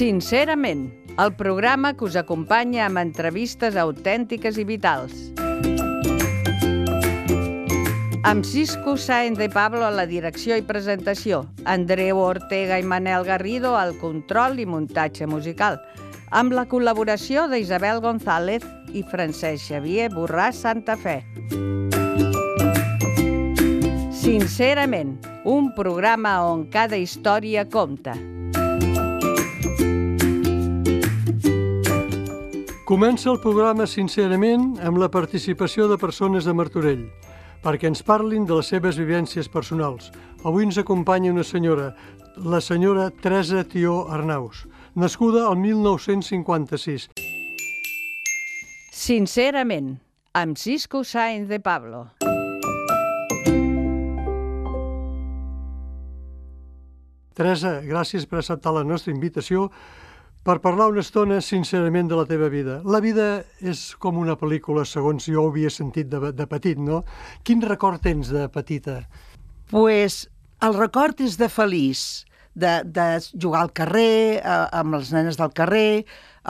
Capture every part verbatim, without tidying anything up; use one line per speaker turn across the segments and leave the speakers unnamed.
Sincerament, el programa que us acompanya amb entrevistes autèntiques i vitals. Amb Cisco Sáenz de Pablo a la direcció i presentació, Andreu Ortega i Manel Garrido al control i muntatge musical, amb la col·laboració d'Isabel González i Francesc Xavier Borràs Santa Fe. Sincerament, un programa on cada història compta.
Comença el programa Sincerament amb la participació de persones de Martorell, perquè ens parlin de les seves vivències personals. Avui ens acompanya una senyora, la senyora Teresa Tió Arnaus, nascuda el mil nou-cents cinquanta-sis.
Sincerament, amb Cisco Sáenz de Pablo.
Teresa, gràcies per acceptar la nostra invitació per parlar una estona sincerament de la teva vida. La vida és com una pel·lícula, segons jo ho havia sentit de, de petit, no? Quin record tens de petita?
Pues el record és de feliç, de, de jugar al carrer, eh, amb les nenes del carrer.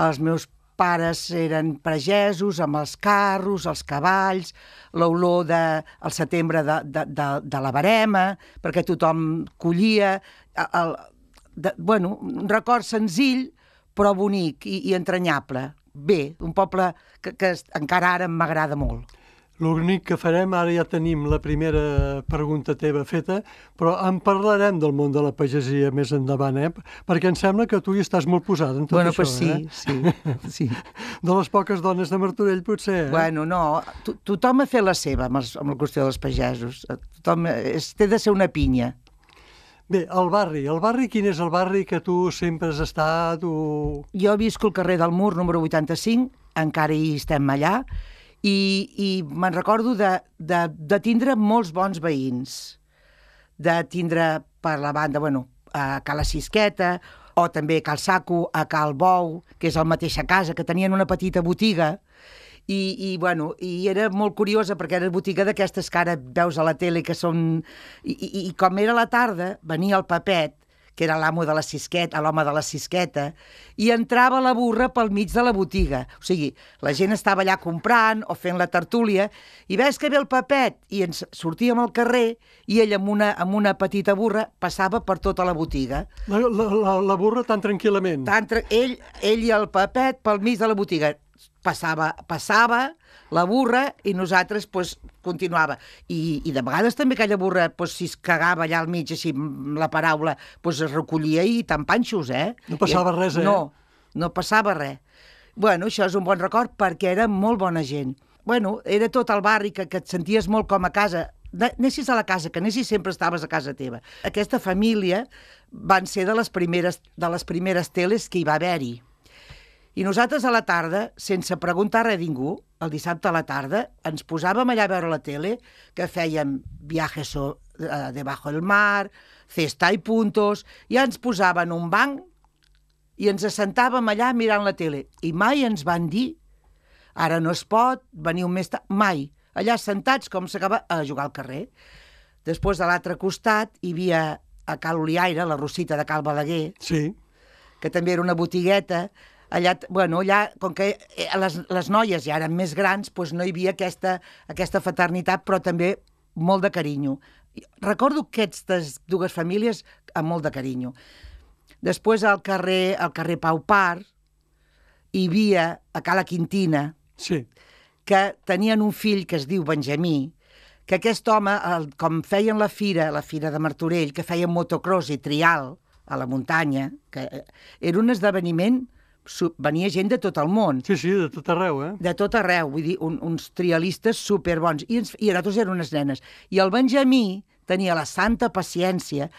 Els meus pares eren pagesos, amb els carros, els cavalls, l'olor del de, setembre de, de, de, de la verema, perquè tothom collia. El, de, bueno, un record senzill, però bonic i, i entranyable. Bé, un poble que, que encara ara m'agrada molt.
L'únic que farem, ara ja tenim la primera pregunta teva feta, però en parlarem del món de la pagesia més endavant, eh? Perquè em sembla que tu hi estàs molt posada en tot
bueno,
això,
pues sí,
eh?
sí, sí.
De les poques dones de Martorell, potser, eh?
Bueno, no, to tothom ha fet la seva amb, els, amb la qüestió dels pagesos. Tothom és, té de ser una pinya.
Bé, el barri. El barri, quin és el barri que tu sempre has estat? O...
Jo visco al carrer del Mur, número vuitanta-cinc, encara hi estem allà, i, i me'n recordo de, de, de tindre molts bons veïns, de tindre per la banda, bueno, a Cala Sisqueta, o també a Cal Saco, a Cal Bou, que és la mateixa casa, que tenien una petita botiga, I, i, bueno, i era molt curiosa perquè era botiga d'aquestes que ara veus a la tele que són... I, i, i com era la tarda, venia el Papet, que era l'amo de la Sisqueta, l'home de la Sisqueta, i entrava la burra pel mig de la botiga. O sigui, la gent estava allà comprant o fent la tertúlia, i ves que ve el Papet, i ens sortíem al carrer, i ell amb una, amb una petita burra passava per tota la botiga.
La, la, la, la burra tan tranquil·lament.
Tan tra ell, ell i el Papet pel mig de la botiga. Passava, passava la burra i nosaltres pues, continuava. I, I de vegades també aquella burra, pues, si es cagava allà al mig, així, la paraula, pues, es recollia i tan panxos, eh?
No passava res, eh?
No, no passava res. Bueno, això és un bon record perquè era molt bona gent. Bueno, era tot el barri que, que et senties molt com a casa. Anessis a la casa, que anessis sempre estaves a casa teva. Aquesta família van ser de les primeres, de les primeres teles que hi va haver-hi. I nosaltres a la tarda, sense preguntar res a ningú, el dissabte a la tarda, ens posàvem allà a veure la tele, que fèiem viajes uh, debajo del mar, cesta i puntos, i ens posaven un banc i ens assentàvem allà mirant la tele. I mai ens van dir, ara no es pot, veniu més tard, mai. Allà sentats com s'acaba a jugar al carrer. Després de l'altre costat hi havia a Cal Oliaire, la Rosita de Cal Balaguer,
sí,
que també era una botigueta. Allà, bueno, allà, com que les, les noies ja eren més grans, doncs no hi havia aquesta, aquesta fraternitat, però també molt de carinyo. Recordo aquestes dues famílies amb molt de carinyo. Després, al carrer, al carrer Pau Par, hi havia a Cala Quintina,
sí,
que tenien un fill que es diu Benjamí, que aquest home, el, com feien la fira, la fira de Martorell, que feien motocross i trial a la muntanya, que era un esdeveniment... Venia gent de tot el món.
Sí, sí, de tot arreu, eh?
De tot arreu, vull dir, un, uns trialistes superbons. I, ens, I nosaltres eren unes nenes. I el Benjamí tenia la santa paciència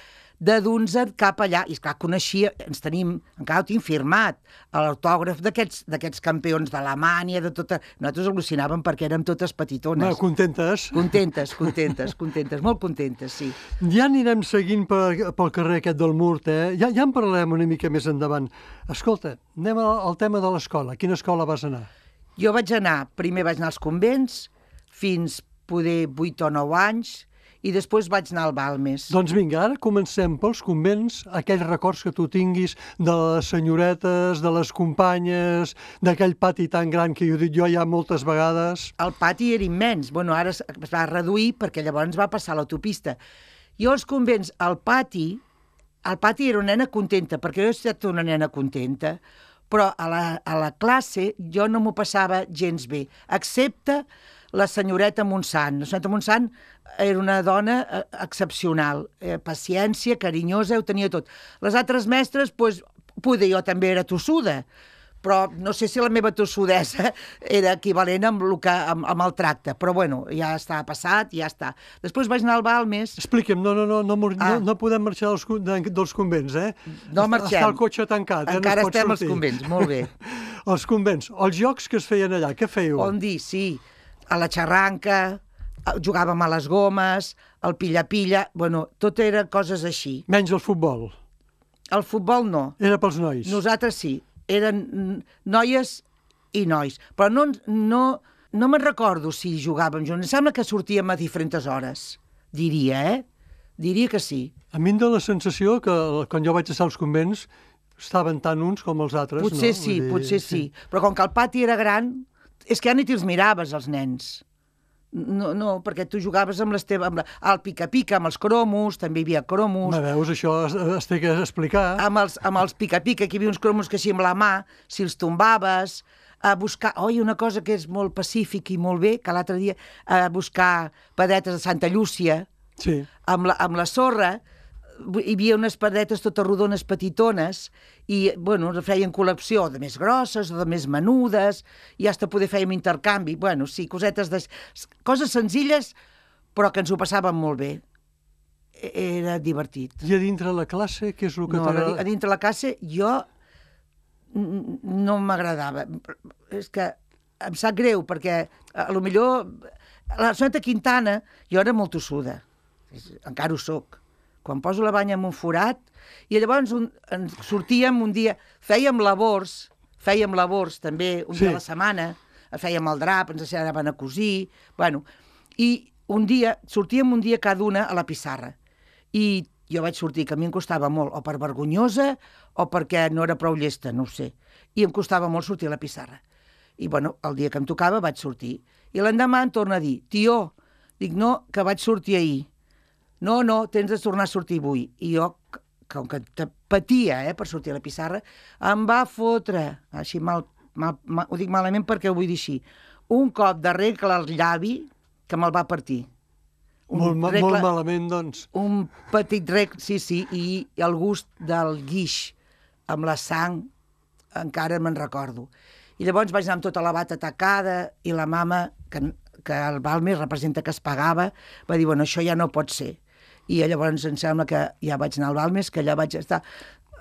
de dur-nos cap allà. I esclar, coneixia, ens tenim, encara ho tinc firmat, l'autògraf d'aquests campions d'Alemanya, de tota... Nosaltres al·lucinàvem perquè érem totes petitones.
No, contentes?
Contentes, contentes, contentes, molt contentes, sí.
Ja anirem seguint per, pel carrer aquest del Mur, eh? Ja, ja en parlarem una mica més endavant. Escolta, anem al tema de l'escola. A quina escola vas anar?
Jo vaig anar, primer vaig anar als convents, fins poder vuit o nou anys, i després vaig anar al Balmes.
Doncs vinga, ara comencem pels convents, aquells records que tu tinguis de les senyoretes, de les companyes, d'aquell pati tan gran que he dit jo ja moltes vegades.
El pati era immens. Bueno, ara es va reduir perquè llavors va passar l'autopista. Jo als convents, al pati, al pati era una nena contenta, perquè jo he estat una nena contenta, però a la, a la classe jo no m'ho passava gens bé, excepte la senyoreta Montsant. La senyoreta Montsant era una dona eh, excepcional, eh, paciència, carinyosa, ho tenia tot. Les altres mestres, doncs, poder jo també era tossuda, però no sé si la meva tossudesa era equivalent amb el, que, amb, amb el tracte, però bueno, ja està passat, ja està. Després vaig anar al Balmes.
Expliqui'm, no, no, no, no,
Ah.
no, no podem marxar dels, de, dels convents, eh?
No marxem.
Està el cotxe tancat, eh?
Encara
no es pot
estem als
sortir.
convents, molt bé.
Els convents, els jocs que es feien allà, què fèieu?
On dir, sí, a la xarranca, jugàvem a les gomes, al pilla-pilla, bueno, tot era coses així.
Menys el futbol.
El futbol no,
Era pels nois.
nosaltres sí, eren noies i nois, però no, no, no me'n recordo si jugàvem junts, em sembla que sortíem a diferents hores, diria, eh? Diria que sí.
A mi em dóna la sensació que quan jo vaig estar als convents estaven tant uns com els altres,
Potser
no?
sí,
Vull dir,
potser sí. Però com que el pati era gran, és que ja ni te'ls miraves, els nens. No, no, perquè tu jugaves amb les teves... Amb la, al pica-pica, amb els cromos, també hi havia cromos.
Me veus, això es, es té que explicar.
Amb els, amb els pica-pica, que hi havia uns cromos que així amb la mà, si els tombaves, a buscar... Oi, una cosa que és molt pacífic i molt bé, que l'altre dia a buscar padetes de Santa Llúcia,
Sí.
amb la, amb la sorra, hi havia unes padetes totes rodones petitones i, bueno, feien col·lecció de més grosses o de més menudes i fins poder fèiem intercanvi. Bueno, sí, cosetes de... Coses senzilles, però que ens ho passàvem molt bé. Era divertit.
I a dintre la classe, què és el que
No, a
t'agrada?
a dintre la classe jo n- no m'agradava. És que em sap greu, perquè a lo millor la Sonata Quintana, jo era molt tossuda, encara ho soc. Quan poso la banya en un forat, i llavors un, ens sortíem un dia, fèiem labors, fèiem labors també un
Sí.
dia a la setmana, fèiem el drap, ens ensenyaven a cosir, bueno, i un dia, sortíem un dia cada una a la pissarra, i jo vaig sortir, que a mi em costava molt, o per vergonyosa, o perquè no era prou llesta, no ho sé, i em costava molt sortir a la pissarra. I, bueno, el dia que em tocava vaig sortir. I l'endemà em torna a dir, tió, dic, no, que vaig sortir ahir. No, no, tens de tornar a sortir avui. I jo, com que patia eh, per sortir a la pissarra, em va fotre, així mal, mal, mal, ho dic malament perquè ho vull dir així, un cop de regle al llavi que me'l va partir. Un
Molt, ma-
regle-
molt malament, doncs.
un petit rec, sí, sí, i el gust del guix amb la sang encara me'n recordo. I llavors vaig anar amb tota la bata tacada i la mama, que, que el Balmes representa que es pagava, va dir, bueno, això ja no pot ser. I llavors em sembla que ja vaig anar al Balmes, que allà vaig estar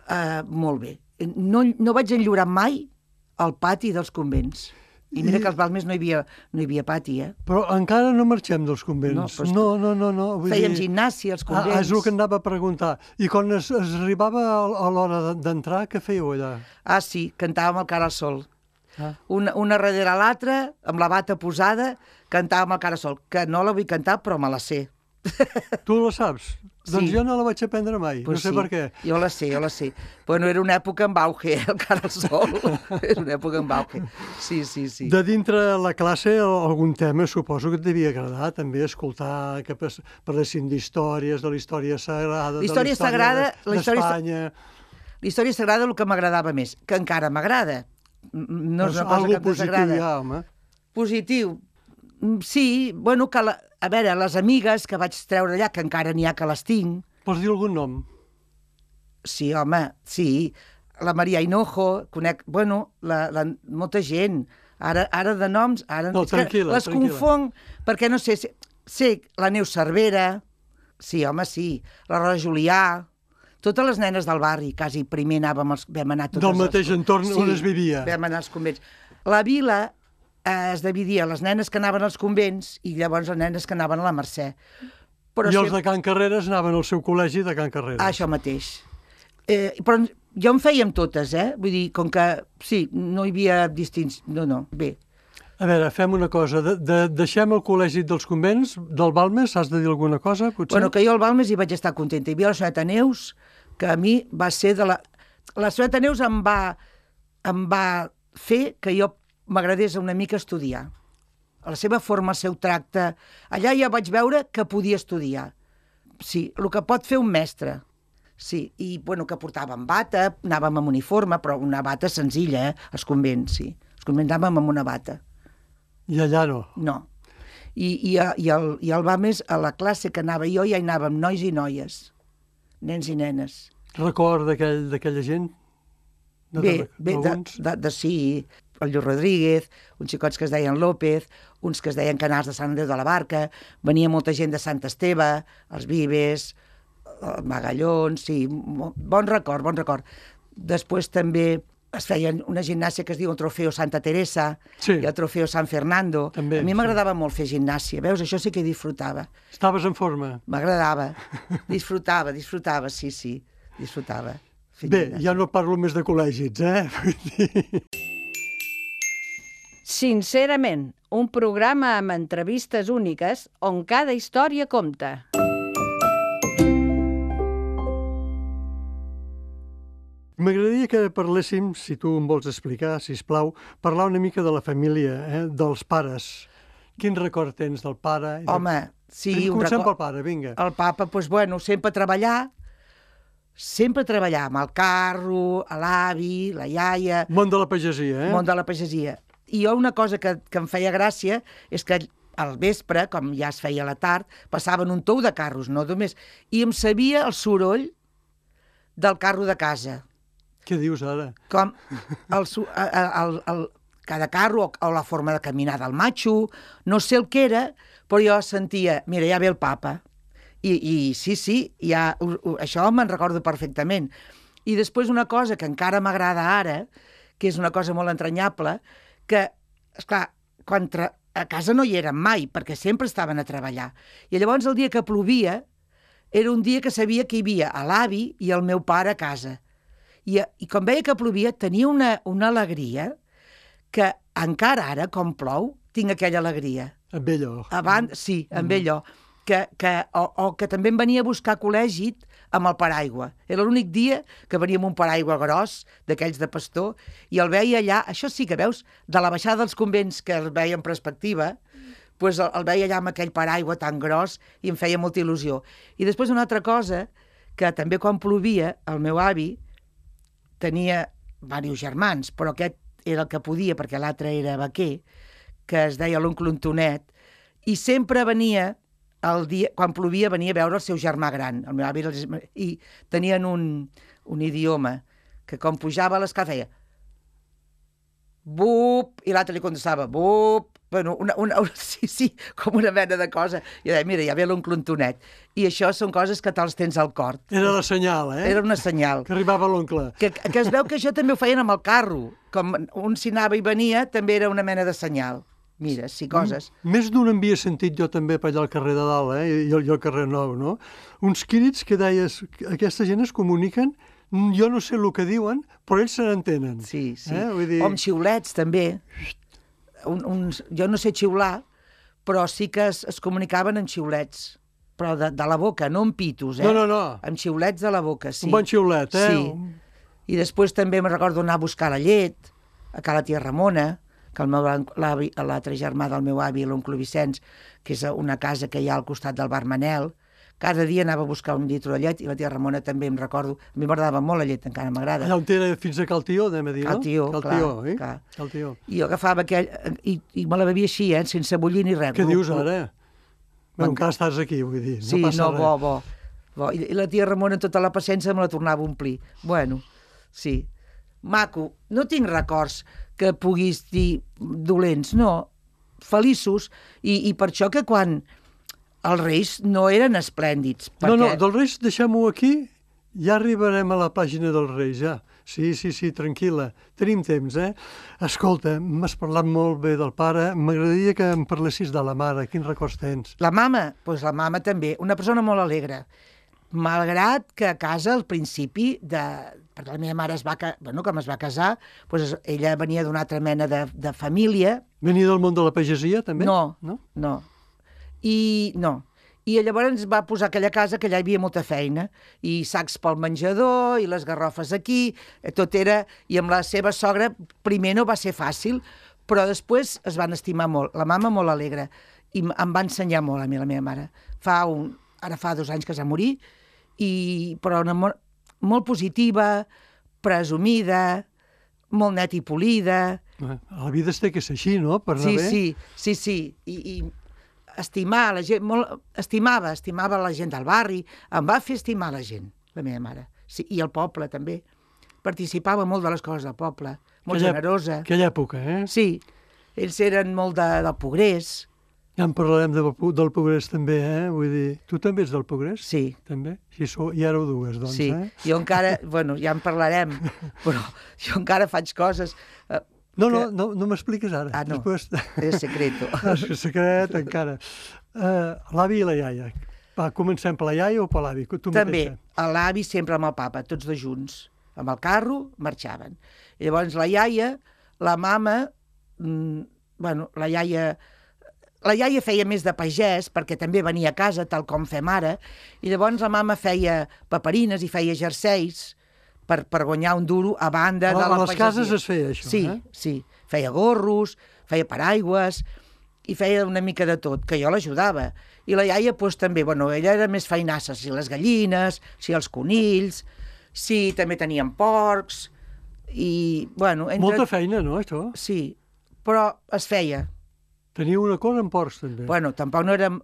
uh, molt bé. No, no vaig enllorar mai al pati dels convents. I mira
I-
que als Balmes no hi havia, no hi havia pati, eh?
Però encara no marxem dels
No,
convents.
però és
No, no, no. no vull
Fèiem
dir...
gimnàsia als
Ah,
convents.
és el que anava a preguntar. I quan es, es arribava a, a l'hora de- d'entrar, què fèieu allà?
Ah, sí, cantàvem el cara al sol.
Ah.
Una, una darrere l'altra, amb la bata posada, cantàvem el cara al sol, que no la vull cantar, però me la sé.
Tu la saps?
Sí.
Doncs jo no la vaig aprendre mai,
Pues
no sé
sí,
per què.
Jo la sé, jo la sé. Bueno, era una època en auge, eh, el cara al sol. Era una època en auge. Sí, sí, sí.
De dintre la classe, al- algun tema suposo que et devia agradar també escoltar que pas- parlessin d'històries, de la història sagrada,
La història
de la
sagrada,
història
la història sa-
d'Espanya.
La història sagrada el que m'agradava més, que encara m'agrada. M- No és una cosa
Algo
que em
positiu
desagrada.
ja, home.
Positiu. Mm, Sí, bueno, que la, a veure, les amigues que vaig treure allà, que encara n'hi ha que les tinc,
Vols dir algun nom?
sí, home, sí. La Maria Hinojo, conec, bueno, la, la, molta gent. Ara, ara de noms, ara...
No,
és que
tranquil·la,
les
tranquil·la.
confonc, perquè no sé, sé, sé la Neus Cervera, sí, home, sí, la Rosa Julià, totes les nenes del barri, quasi primer anàvem, als, vam anar totes...
Del mateix
als-
entorn on es vivia.
vam anar als convents. La vila eh, es dividia les nenes que anaven als convents i llavors les nenes que anaven a la Mercè. Però
I els
sempre-
de Can Carreres anaven al seu col·legi de Can Carreres.
Ah, això mateix. Eh, però jo en fèiem totes, eh? Vull dir, com que, sí, no hi havia distints... No, no, bé.
A veure, fem una cosa. De, de, deixem el col·legi dels convents del Balmes. Has de dir alguna cosa, potser?
Bueno, que jo al Balmes hi vaig estar contenta. Hi havia la senyora Neus, que a mi va ser de la... La senyora Neus em va, em va fer que jo m'agradés una mica estudiar. A la seva forma, el seu tracte... Allà ja vaig veure que podia estudiar. Sí, el que pot fer un mestre. Sí, i bueno, que portàvem bata, anàvem amb uniforme, però una bata senzilla, eh? Els convents, sí. Els convents anàvem amb una bata.
I allà no?
No. I, i, i, el, i el Balmes, a la classe que anava jo, ja hi anàvem nois i noies, nens i nenes.
Record d'aquella gent? De,
bé,
de,
bé de, de, de sí, el Lluís Rodríguez, uns xicots que es deien López, uns que es deien Canals de Sant Andreu de la Barca, venia molta gent de Sant Esteve, els Vives, el Magallons, sí, bon record, bon record. Després també es feia una gimnàsia que es diu el Trofeo Santa Teresa, sí, i el Trofeo San Fernando. També, a mi m'agradava sí. molt fer gimnàsia, veus? Això sí que disfrutava.
Estaves en forma? M'agradava,
disfrutava, disfrutava, sí, sí, disfrutava.
Bé, ja no parlo més de col·legis, eh?
Sincerament, un programa amb entrevistes úniques on cada història compta.
M'agradaria que parléssim, si tu em vols explicar, sisplau, parlar una mica de la família, eh? Dels pares. Quin record tens del pare?
Home, sí,
un record... Comencem pel pare, vinga.
El papa, doncs, bueno, sempre treballar, sempre treballar amb el carro, l'avi, la iaia...
Món de la pagesia, eh?
Món de la pagesia. I jo una cosa que, que em feia gràcia és que al vespre, com ja es feia a la tard, passaven un tou de carros, no només... I em sabia el soroll del carro de casa.
Què dius ara?
Com el, el, el, cada carro o, o la forma de caminar del matxo, no sé el que era, però jo sentia, mira, ja ve el papa. I, i sí, sí, ja, això me'n recordo perfectament. I després una cosa que encara m'agrada ara, que és una cosa molt entranyable, que, esclar, quan a casa no hi eren mai, perquè sempre estaven a treballar. I llavors el dia que plovia, era un dia que sabia que hi havia l'avi i el meu pare a casa. I, i quan veia que plovia, tenia una, una alegria que encara ara, com plou, tinc aquella alegria.
Amb allò.
Abans, sí, amb mm. allò. Que, que, o, o que també em venia a buscar a col·legi amb el paraigua. Era l'únic dia que venia amb un paraigua gros, d'aquells de pastor, i el veia allà, això sí que veus, de la baixada dels convents que el veia en perspectiva, pues el, el veia allà amb aquell paraigua tan gros i em feia molta il·lusió. I després una altra cosa, que també quan plovia, el meu avi tenia diversos germans, però aquest era el que podia, perquè l'altre era vaquer, que es deia l'oncle Antonet, i sempre venia, el dia, quan plovia, venia a veure el seu germà gran, el meu avi, i tenien un, un idioma que quan pujava a l'escala feia bup, i l'altre li contestava bup, bueno, una, una, una, sí, sí, com una mena de cosa. I deia, mira, ja ve l'oncle Antonet. I això són coses que te'ls tens al cor.
Era la senyal, eh?
Era una senyal.
Que arribava l'oncle.
Que, que es veu que això també ho feien amb el carro. Com un s'hi anava i venia, també era una mena de senyal. Mira, sí, coses.
Més d'un en havia sentit jo també per allà al carrer de dalt, eh? I, i al carrer Nou, no? Uns crits que deies, aquesta gent es comuniquen, jo no sé el que diuen, però ells se n'entenen.
Sí, sí.
Eh? Vull dir...
O amb xiulets, també. Un, uns, jo no sé xiular, però sí que es, es comunicaven en xiulets. Però de, de la boca, no amb pitos, eh?
No, no, no.
Amb xiulets de la boca, sí.
Un bon xiulet, eh?
Sí. I després també me recordo anar a buscar la llet, a ca la tia Ramona, que el meu l'altre germà del meu avi, l'oncle Vicenç, que és una casa que hi ha al costat del bar Manel, cada dia anava a buscar un litre de llet, i la tia Ramona també em recordo. A mi m'agradava molt la llet, encara m'agrada.
Allà on era fins a Cal Tió, anem a dir, no?
Cal Tió,
Cal
clar.
Tió, eh?
clar.
Cal Tió.
I jo agafava aquell... I, i me la bevia així, eh? Sense bullir ni res.
Què dius ara? Bé, encara estàs aquí, vull dir.
Sí,
no passa
no,
res.
bo, bo. bo. I, I la tia Ramona, tota la paciència, me la tornava a omplir. Bueno, sí. Maco. No tinc records que puguis dir dolents, no. Feliços. I, i per això que quan... Els reis no eren esplèndids. Perquè...
No, no, dels reis deixem-ho aquí, ja arribarem a la pàgina dels reis, ja. Sí, sí, sí, tranquil·la, tenim temps, eh? Escolta, m'has parlat molt bé del pare, m'agradaria que em parlessis de la mare, quins records tens?
La mama? Doncs pues la mama també, una persona molt alegre. malgrat que a casa al principi de... perquè la meva mare es va, bueno, com es va casar, doncs ella venia d'una altra mena de, de família.
Venia del món de la pagesia, també?
No,
no,
no. I no. I llavors ens va posar aquella casa que allà hi havia molta feina, i sacs pel menjador, i les garrofes aquí, tot era... I amb la seva sogra, primer no va ser fàcil, però després es van estimar molt. La mama molt alegre, i em va ensenyar molt a mi, la meva mare. Fa un... Ara fa dos anys que es va morir, i... però una molt, molt positiva, presumida, molt net i polida.
La vida es té que ser així, no?, per anar
sí,
bé.
Sí, sí, sí, i... i estimar la gent, molt, estimava, estimava la gent del barri, em va fer estimar la gent, la meva mare, sí, i el poble també. Participava molt de les coses del poble, molt
aquella,
generosa.
Aquella època, eh?
Sí, ells eren molt de, del Progrés.
Ja en parlarem de, del Progrés també, eh? Vull dir, tu també ets del Progrés?
Sí.
També? Si sou, ja éreu dues, doncs,
sí.
eh?
Jo encara, bueno, ja en parlarem, però jo encara faig coses... Eh,
No,
que...
no, no, no m'expliques ara.
Ah, no,
Després...
és secreto.
És secret, encara. Uh, l'avi i la iaia. Va, comencem per la iaia o per l'avi?
També, l'avi sempre amb el papa, tots dos junts. Amb el carro marxaven. I llavors la iaia, la mama, mmm, bueno, la iaia... La iaia feia més de pagès, perquè també venia a casa, tal com fem ara, i llavors la mama feia paperines i feia jerseis, Per, per guanyar un duro a banda
a,
de la
pagesia. A les
pagesia.
cases es feia això,
sí,
eh?
Sí, feia gorros, feia paraigües, i feia una mica de tot, que jo l'ajudava. I la iaia, doncs, també, bueno, ella era més feinassa, si les gallines, si els conills, si també tenien porcs, i, bueno... Entre...
Molta feina, no, això?
Sí, però es feia.
Tenia una cosa amb porcs, també.
Bueno, tampoc no érem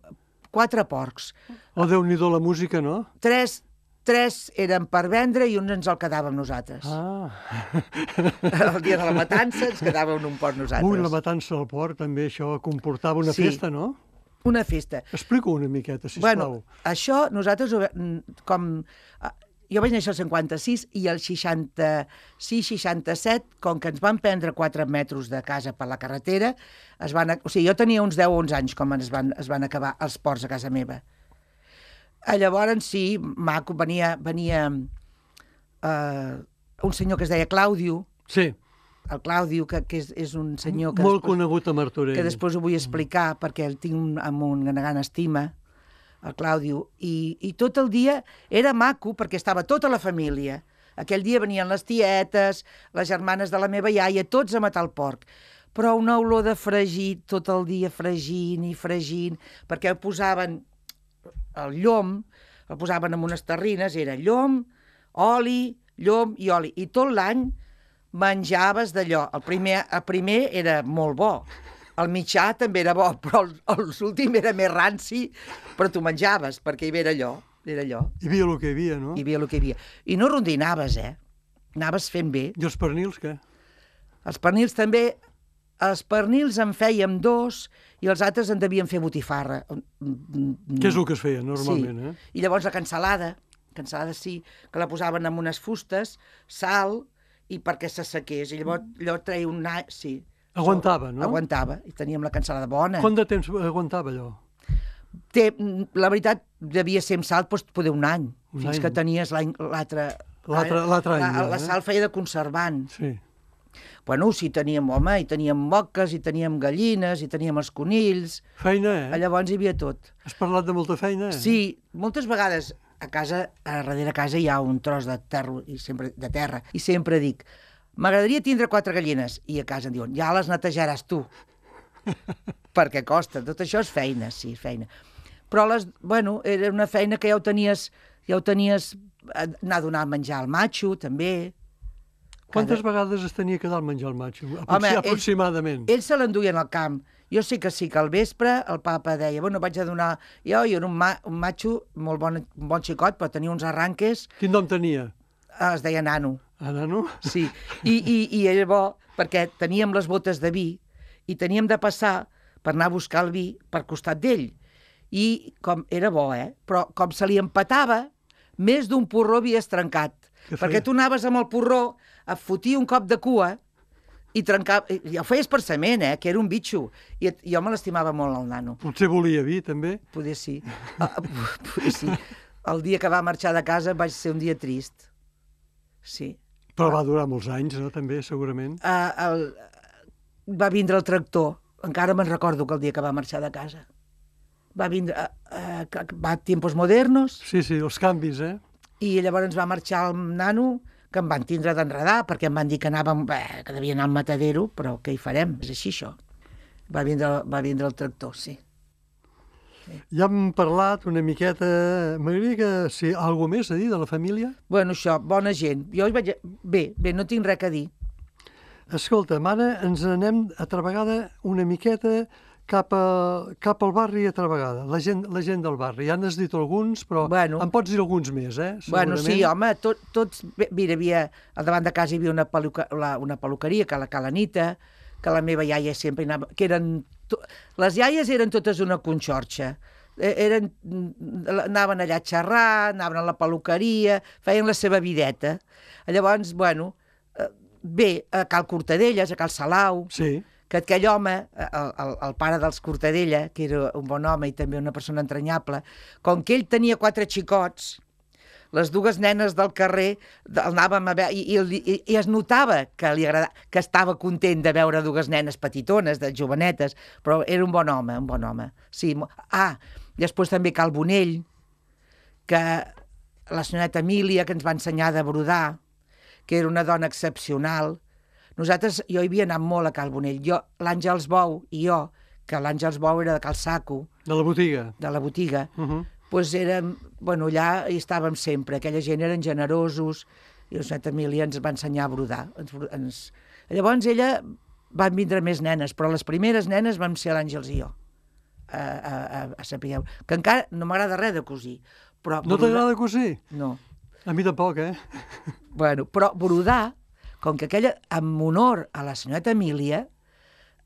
quatre porcs.
Oh, Déu-n'hi-do la música, no?
Tres... Tres eren per vendre i uns ens el quedàvem nosaltres.
Ah.
El dia de la matança ens quedàvem un porc nosaltres.
Ui, la matança del porc, també, això comportava una
sí,
festa, no?
Una festa.
Explica una miqueta, sisplau.
Bueno, això nosaltres, com... Jo vaig néixer al cinquanta-sis i al seixanta-sis seixanta-set, com que ens van prendre quatre metres de casa per la carretera, es van... o sigui, jo tenia uns deu o onze anys com es van, es van acabar els porcs a casa meva. Llavors, sí, maco, venia, venia uh, un senyor que es deia Clàudio.
Sí.
El Clàudio, que, que és, és un senyor que...
Molt
després,
conegut a Martorell.
Que després ho vull explicar, perquè el tinc un, amb una gran estima, el Clàudio. I, I tot el dia era maco, perquè estava tota la família. Aquell dia venien les tietes, les germanes de la meva iaia, tots a matar el porc. Però una olor de fregit, tot el dia fregint i fregint, perquè ho posaven... el llom, el posaven en unes terrines, era llom, oli, llom i oli. I tot l'any menjaves d'allò. El primer, el primer era molt bo, el mitjà també era bo, però l'últim era més ranci, però tu menjaves, perquè hi havia allò. Era allò.
Hi havia el que hi havia, no?
Hi havia el que hi havia. I no rondinaves, eh? Anaves fent bé.
I els pernils, què?
Els pernils també... Els pernils en fèiem dos i els altres en devien fer botifarra.
Què és el que es feia normalment,
sí.
eh?
I llavors la cansalada, cansalada sí, que la posaven en unes fustes, sal, i perquè s'assequés. I llavors allò treia un... Sí.
Aguantava, no?
Aguantava, i teníem la cansalada bona.
Quant de temps aguantava allò?
Té, la veritat, devia ser amb sal, doncs, poder un any,
un
fins
any.
que tenies l'altre...
L'altre any,
la,
ja,
la sal feia de conservant.
Sí.
Bueno, sí, teníem, home, i teníem moques, i teníem gallines, i teníem els conills...
Feina, eh?
Llavors hi havia tot.
Has parlat de molta feina, eh?
Sí, moltes vegades a casa, a darrere casa hi ha un tros de terra, i sempre, de terra, i sempre dic, m'agradaria tindre quatre gallines, i a casa em diuen, ja les netejaràs tu, perquè costa, tot això és feina, sí, feina. Però, les, bueno, era una feina que ja ho tenies, ja ho tenies, anar a donar a menjar al matxo, també...
Quantes Cada... vegades es tenia que dar al menjar el matxo? Aproxim,
Home,
aproximadament.
Ells, ells se l'enduien al camp. Jo sé que sí, que al vespre el papa deia, bueno, vaig a donar... Jo, jo era un, ma un matxo molt bon, un bon xicot, però tenia uns arranques...
Quin nom tenia?
Es deia Nano.
Ah, Nano?
Sí, i, i, i era bo perquè teníem les botes de vi i teníem de passar per anar a buscar el vi per costat d'ell. I com era bo, eh? Però com se li empatava, més d'un porró havies trencat. Perquè tu anaves amb el porró, et fotia un cop de cua i trencava... I ho feies per sement, eh? Que era un bitxo. I jo me l'estimava molt, el Nano.
Potser volia vi, també?
Poder sí. Uh, poder sí. el dia que va marxar de casa vaig ser un dia trist. Sí.
Però va durar molts anys, no?, també, segurament.
Uh, el, va vindre el tractor. Encara me'n recordo que el dia que va marxar de casa. Va vindre... Uh, uh, va a tiempos modernos.
Sí, sí, els canvis, eh?
I llavors va marxar el nano, que em van tindre d'enredar, perquè em van dir que anàvem, bé, que devia anar al matadero, però què hi farem? És així, això. Va vindre, va vindre el tractor, sí.
sí. Ja hem parlat una miqueta... M'agradaria que... Si alguna més a dir de la família?
Bueno, això, bona gent. Jo hi vaig... Bé, bé, no tinc res a dir.
Escolta, ara ens anem altra vegada una miqueta cap, a, cap al barri altra vegada, la gent, la gent del barri. Ja n'has dit alguns, però
bueno,
em pots dir alguns més, eh?
Bueno, sí, home, tot, tots... Mira, havia, al davant de casa hi havia una, peluca, la, una peluqueria, que la Calanita, que la meva iaia sempre anava... Que eren, to, les iaies eren totes una conxorxa. Eren, anaven allà a xerrar, anaven a la peluqueria, feien la seva videta. Llavors, bueno, bé, a Cal Cortadelles, a Cal Salau...
Sí.
Que aquell home, el, el, el pare dels Cortadella, que era un bon home i també una persona entranyable, com que ell tenia quatre xicots, les dues nenes del carrer el anàvem a veure, i, i, i es notava que li agradava, que estava content de veure dues nenes petitones, de jovenetes, però era un bon home, un bon home. Sí. Ah, després també Cal Bonell, que la senyoreta Emília, que ens va ensenyar de brodar, que era una dona excepcional. Nosaltres, jo hi havia anat molt a Cal Bonell. Jo, l'Àngels Bou i jo, que l'Àngels Bou era de Cal Saco.
De la botiga.
De la botiga.
Uh -huh.
Doncs érem, bueno, allà hi estàvem sempre. Aquella gent eren generosos i la senyora Emília ens va ensenyar a brodar. Ens, ens... Llavors ella van vindre més nenes, però les primeres nenes vam ser l'Àngels i jo. A, a, a, a saber, que encara no m'agrada res de cosir. Però
no t'agrada cosir?
No.
A mi tampoc, eh?
Bueno, però brodar, com que aquella, en honor a la senyoreta Emília,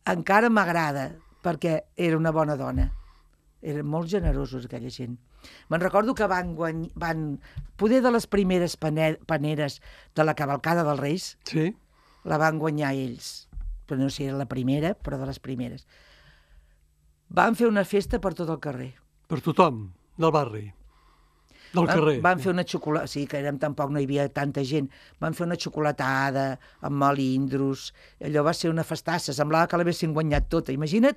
encara m'agrada, perquè era una bona dona. Eren molt generosos, aquella gent. Me'n recordo que van guany... van poder de les primeres paneres de la cavalcada dels Reis,
sí,
la van guanyar ells. Però no sé si era la primera, però de les primeres. Van fer una festa per tot el carrer.
Per tothom, del barri. Del
van,
carrer.
Van fer una xocolatada, sí, que érem, tampoc no hi havia tanta gent, van fer una xocolatada amb melindros, allò va ser una festassa, semblava que l'haguessin guanyat tota. Imagina't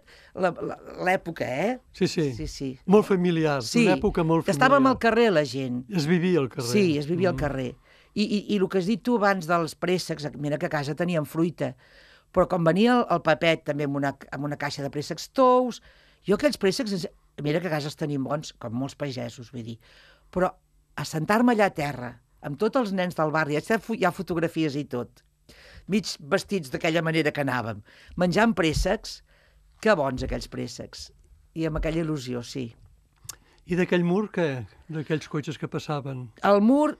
l'època, eh?
Sí, sí,
sí, sí.
Molt familiar,
sí,
una època molt familiar.
Estàvem al carrer, la gent.
Es vivia al carrer.
Sí, es vivia mm. al carrer. I, i, I el que has dit tu abans dels préssecs, mira que a casa teníem fruita, però quan venia el, el papet també amb una, amb una caixa de préssecs tous, jo aquells préssecs, mira que a casa els tenim bons, com molts pagesos, vull dir, però assentar-me allà a terra, amb tots els nens del barri, hi ha fotografies i tot, mig vestits d'aquella manera que anàvem, menjant préssecs, que bons aquells préssecs, i amb aquella il·lusió, sí.
I d'aquell mur, què? D'aquells cotxes que passaven?
El mur,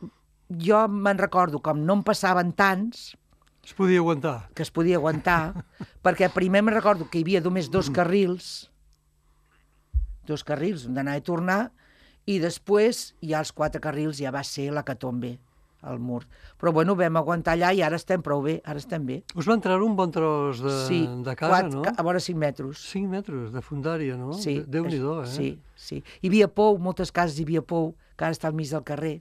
jo me'n recordo, com no en passaven tants...
Es podia aguantar.
Que es podia aguantar, perquè primer me'n recordo que hi havia només dos carrils, dos carrils d'anar i tornar, i després ja els quatre carrils ja va ser la catombe, el mur. Però bueno, vam aguantar allà i ara estem prou bé, ara estem bé.
Us van treure un bon tros de,
sí,
de casa,
quatre,
no?
A vora cinc metres.
Cinc metres de fundària, no?
Sí.
Déu-n'hi-do, eh?
Sí, sí. Hi havia pou, moltes cases hi havia pou, que ara està al mig del carrer.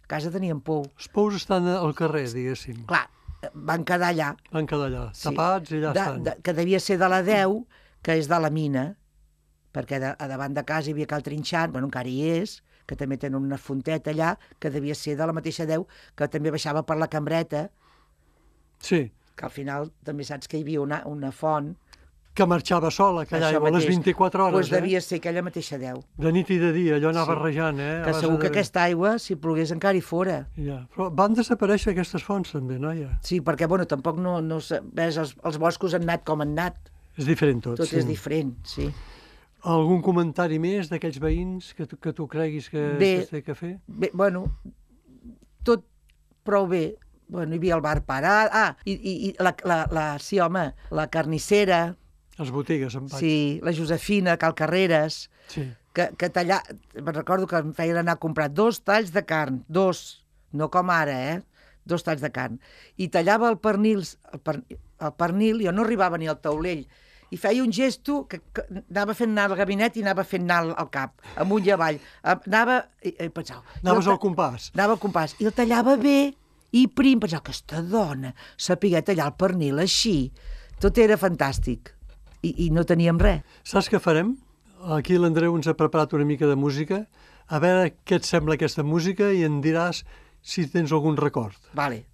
A casa teníem pou.
Els pous estan al carrer, diguéssim.
Clar, van quedar allà.
Van quedar allà, sí. Tapats i allà
de,
estan.
De, que devia ser de la deu, que és de la mina, perquè de, a davant de casa hi havia Cal Trinxant, bueno, encara hi és, que també tenen una fonteta allà, que devia ser de la mateixa deu, que també baixava per la cambreta.
Sí.
Que al final també saps que hi havia una, una font.
Que marxava sola, aquella aigua, a les vint-i-quatre hores,
pues
eh?
devia ser aquella mateixa deu.
De nit i de dia, allò anava
sí.
rejant, eh?
Que segur que aquesta aigua, si plogués, encara hi fora.
Ja. Però van desaparèixer aquestes fonts, també, noia?
Sí, perquè, bueno, tampoc no... no ves, els, els boscos han anat com han anat.
És diferent tot,
tot
sí.
Tot és diferent, sí.
Algun comentari més d'aquells veïns que tu, que tu creguis que es té que fer?
Bé, bueno, tot prou bé. Bueno, hi havia el bar parat... Ah, i, i, i la, la, la, sí, home, la carnissera...
Les botigues, en vaig.
Sí, la Josefina, Cal Carreres...
Sí.
Que, que tallar... Me'n recordo que em feien anar a comprar dos talls de carn, dos, no com ara, eh? Dos talls de carn. I tallava el pernil, el, per, el pernil, jo no arribava ni al taulell, i feia un gesto que, que anava fent anar el gabinet i anava fent anar el cap, amunt i avall. Anava... I, i pensava,
Anaves
i
al compàs.
Anava al compàs. I el tallava bé i prim. Pensava, aquesta dona sapigué tallar el pernil així. Tot era fantàstic. I, i no teníem res.
Saps què farem? Aquí l'Andreu ens ha preparat una mica de música. A veure què et sembla aquesta música i en diràs si tens algun record.
Vale.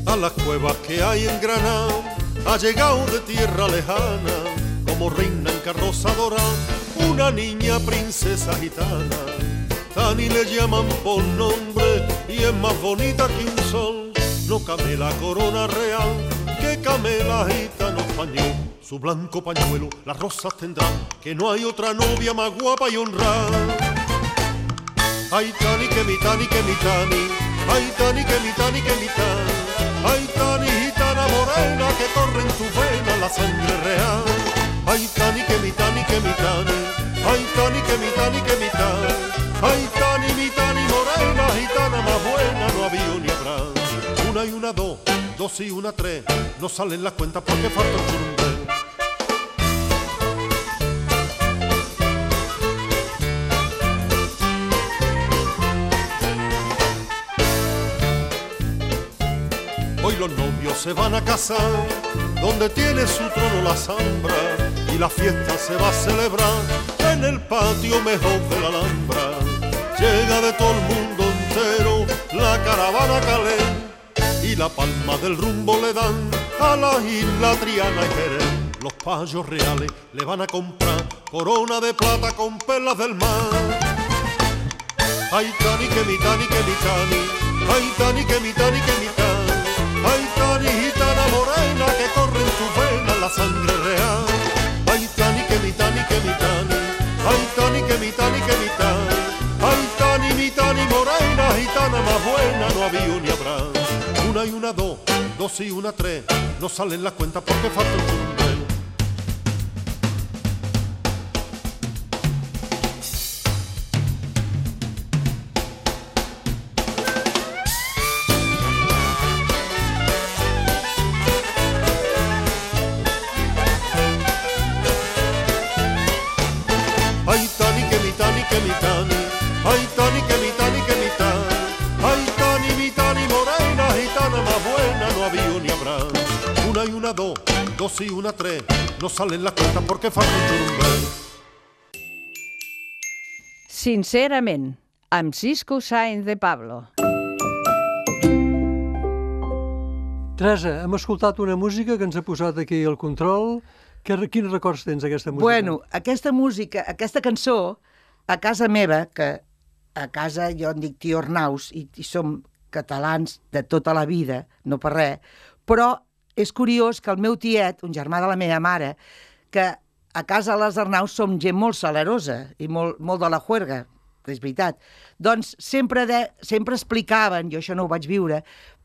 A las cuevas que hay en Granada ha llegado de tierra lejana, como reina en carroza dorada, una niña princesa gitana. Tani le llaman por nombre y es más bonita que un sol. No camela corona real, que camela gitano español. Su blanco pañuelo las rosas tendrá, que no hay otra novia más guapa y honrada. Ay, Tani, que mi Tani, que mi Tani. Ay, Tani, que mi Tani, que mi Tani. Ay, Tani, gitana morena, que corre en tu vena la sangre real. Ay, Tani, que mi Tani, que mi Tani. Ay, Tani, que mi Tani, que mi Tani. Ay, Tani, mi Tani morena, gitana más buena, no había ni habrá. Una y una dos, dos y una tres, no salen las cuentas porque falta el churumbel. Hoy los novios se van a casar, donde tiene su trono la Zambra, y la fiesta se va a celebrar en el patio mejor de la Alhambra. Llega de todo el mundo entero la caravana Calé, y la palma del rumbo le dan a la isla Triana y Jerez. Los payos reales le van a comprar corona de plata con perlas del mar. Ay, Tani, que mi Tani, que mi Tani. Ay, Tani, que mi Tani, que mi Tani. Ay, Tani, gitana morena, que corre en tu vena la sangre real. Ay, Tani, que mi Tani, que mi Tani. Ay, Tani, que mi Tani, que mi Tani. Ay, Tani, mi Tani morena, gitana más buena, no había ni habrá. Una y una dos, dos y una tres, no salen las cuentas porque falta un churumbel. Ay, Tani, que mi Tani, que mi Tani. Ay, Tani, que mi Tani, que mi Tani. Ay, Tani, mi Tani morena, gitana más buena, no había ni habrá. Una y una dos, dos y una tres, no salen las cuentas porque falta un churumbel.
Sincerament, amb Cisco Sáenz de Pablo.
Teresa, hem escoltat una música que ens ha posat aquí al control. Que, quins records tens d'aquesta música?
Bueno, aquesta música, aquesta cançó, a casa meva, que a casa jo em dic tio Arnaus i, i som catalans de tota la vida, no per res, però és curiós que el meu tiet, un germà de la meva mare, que a casa les Arnaus som gent molt salerosa i molt, molt de la juerga, és veritat, doncs sempre, de, sempre explicaven, jo això no ho vaig viure,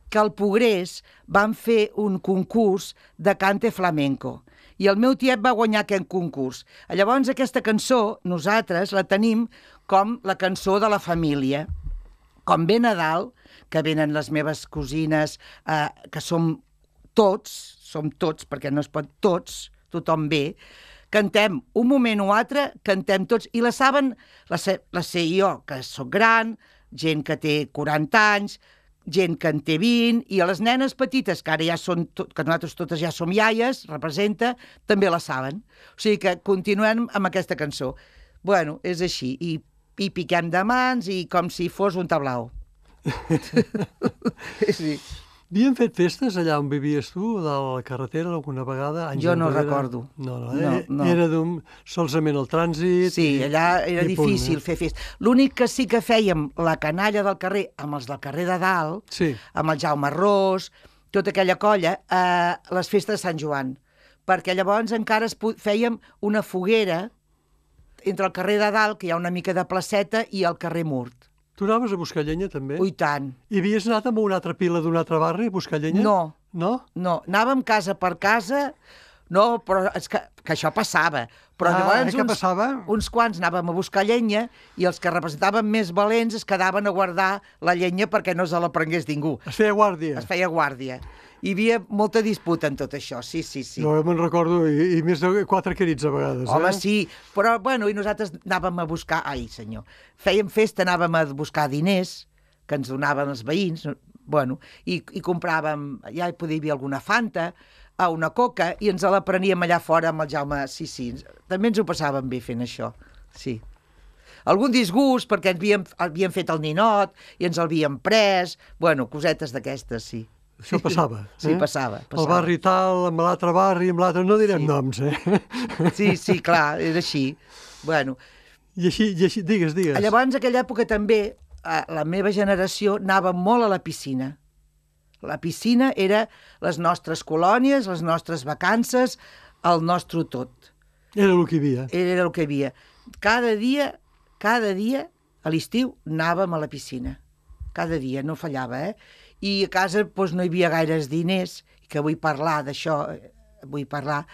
que al Progrés van fer un concurs de cante flamenco. I el meu tiet va guanyar aquest concurs. Llavors, aquesta cançó, nosaltres la tenim com la cançó de la família. Com ve Nadal, que venen les meves cosines, eh, que som tots, som tots, perquè no es pot tots, tothom ve, cantem un moment o altre, cantem tots, i la saben, la sé, la sé jo, que sóc gran, gent que té quaranta anys, gent que en té vint, i a les nenes petites, que ara ja són, que nosaltres totes ja som iaies, representa, també la saben. O sigui que continuem amb aquesta cançó. Bueno, és així, i, i piquem de mans, i com si fos un tablau. Sí.
Havien fet festes allà on vivies tu, de la carretera, alguna vegada? Anys
Jo no
enrere?
recordo.
No, no,
No,
eh?
no.
Era d'un, solament el trànsit...
Sí,
i,
allà era
i punt,
difícil
eh?
fer festa. L'únic que sí que fèiem la canalla del carrer, amb els del carrer de dalt,
Sí.
amb el Jaume Ros, tota aquella colla, eh, les festes de Sant Joan. Perquè llavors encara es fèiem una foguera entre el carrer de dalt, que hi ha una mica de placeta, i el carrer Murt.
Tu anaves a buscar llenya, també?
Ui, tant.
I havies anat amb una altra pila d'un altre barri a buscar llenya?
No.
No?
No, anàvem casa per casa, No, però és que, que això passava. Però
Ah,
llavors
eh, què
uns,
passava?
uns quants anàvem a buscar llenya i els que representaven més valents es quedaven a guardar la llenya perquè no se la prengués ningú.
Es feia guàrdia.
Es feia guàrdia. Hi havia molta disputa en tot això, sí, sí, sí.
Jo me'n recordo, i, i més de quatre crits a vegades.
Home,
eh?
sí, però, bueno, i nosaltres anàvem a buscar... Ai, senyor. Fèiem festa, anàvem a buscar diners que ens donaven els veïns, bueno, i, i compràvem... Ja hi podia haver alguna Fanta, a una coca, i ens la preníem allà fora amb el Jaume. Sí, sí, també ens ho passàvem bé fent això, sí. Algun disgust, perquè ens havíem, havíem fet el ninot i ens l'havíem pres, bueno, cosetes d'aquestes, sí.
Això passava.
Sí,
eh?
passava, passava.
El barri tal, amb l'altre barri, amb l'altre... No direm
Sí.
noms, eh?
Sí, sí, clar, era així. Bueno,
I així, i així, digues, digues.
llavors, en aquella època també, a la meva generació anava molt a la piscina. La piscina era les nostres colònies, les nostres vacances, el nostre tot.
Era el que hi havia.
Era el que hi havia. Cada dia, cada dia, a l'estiu, anàvem a la piscina. Cada dia, no fallava, eh? I a casa doncs, no hi havia gaires diners, que vull parlar d'això, vull parlar.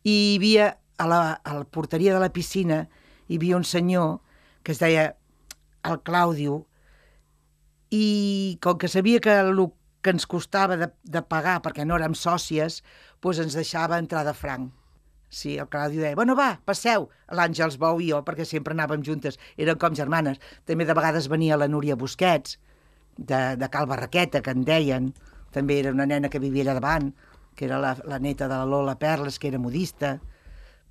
I hi havia, a la, a la porteria de la piscina, hi havia un senyor que es deia el Clàudio, i com que sabia que el que ens costava de, de pagar, perquè no érem sòcies, doncs ens deixava entrar de franc. Sí, el Claudio deia, bueno, va, passeu, l'Àngels Bou i jo, perquè sempre anàvem juntes, eren com germanes. També de vegades venia la Núria Busquets, de, de Cal Barraqueta, que en deien, també era una nena que vivia allà davant, que era la, la neta de la Lola Perles, que era modista.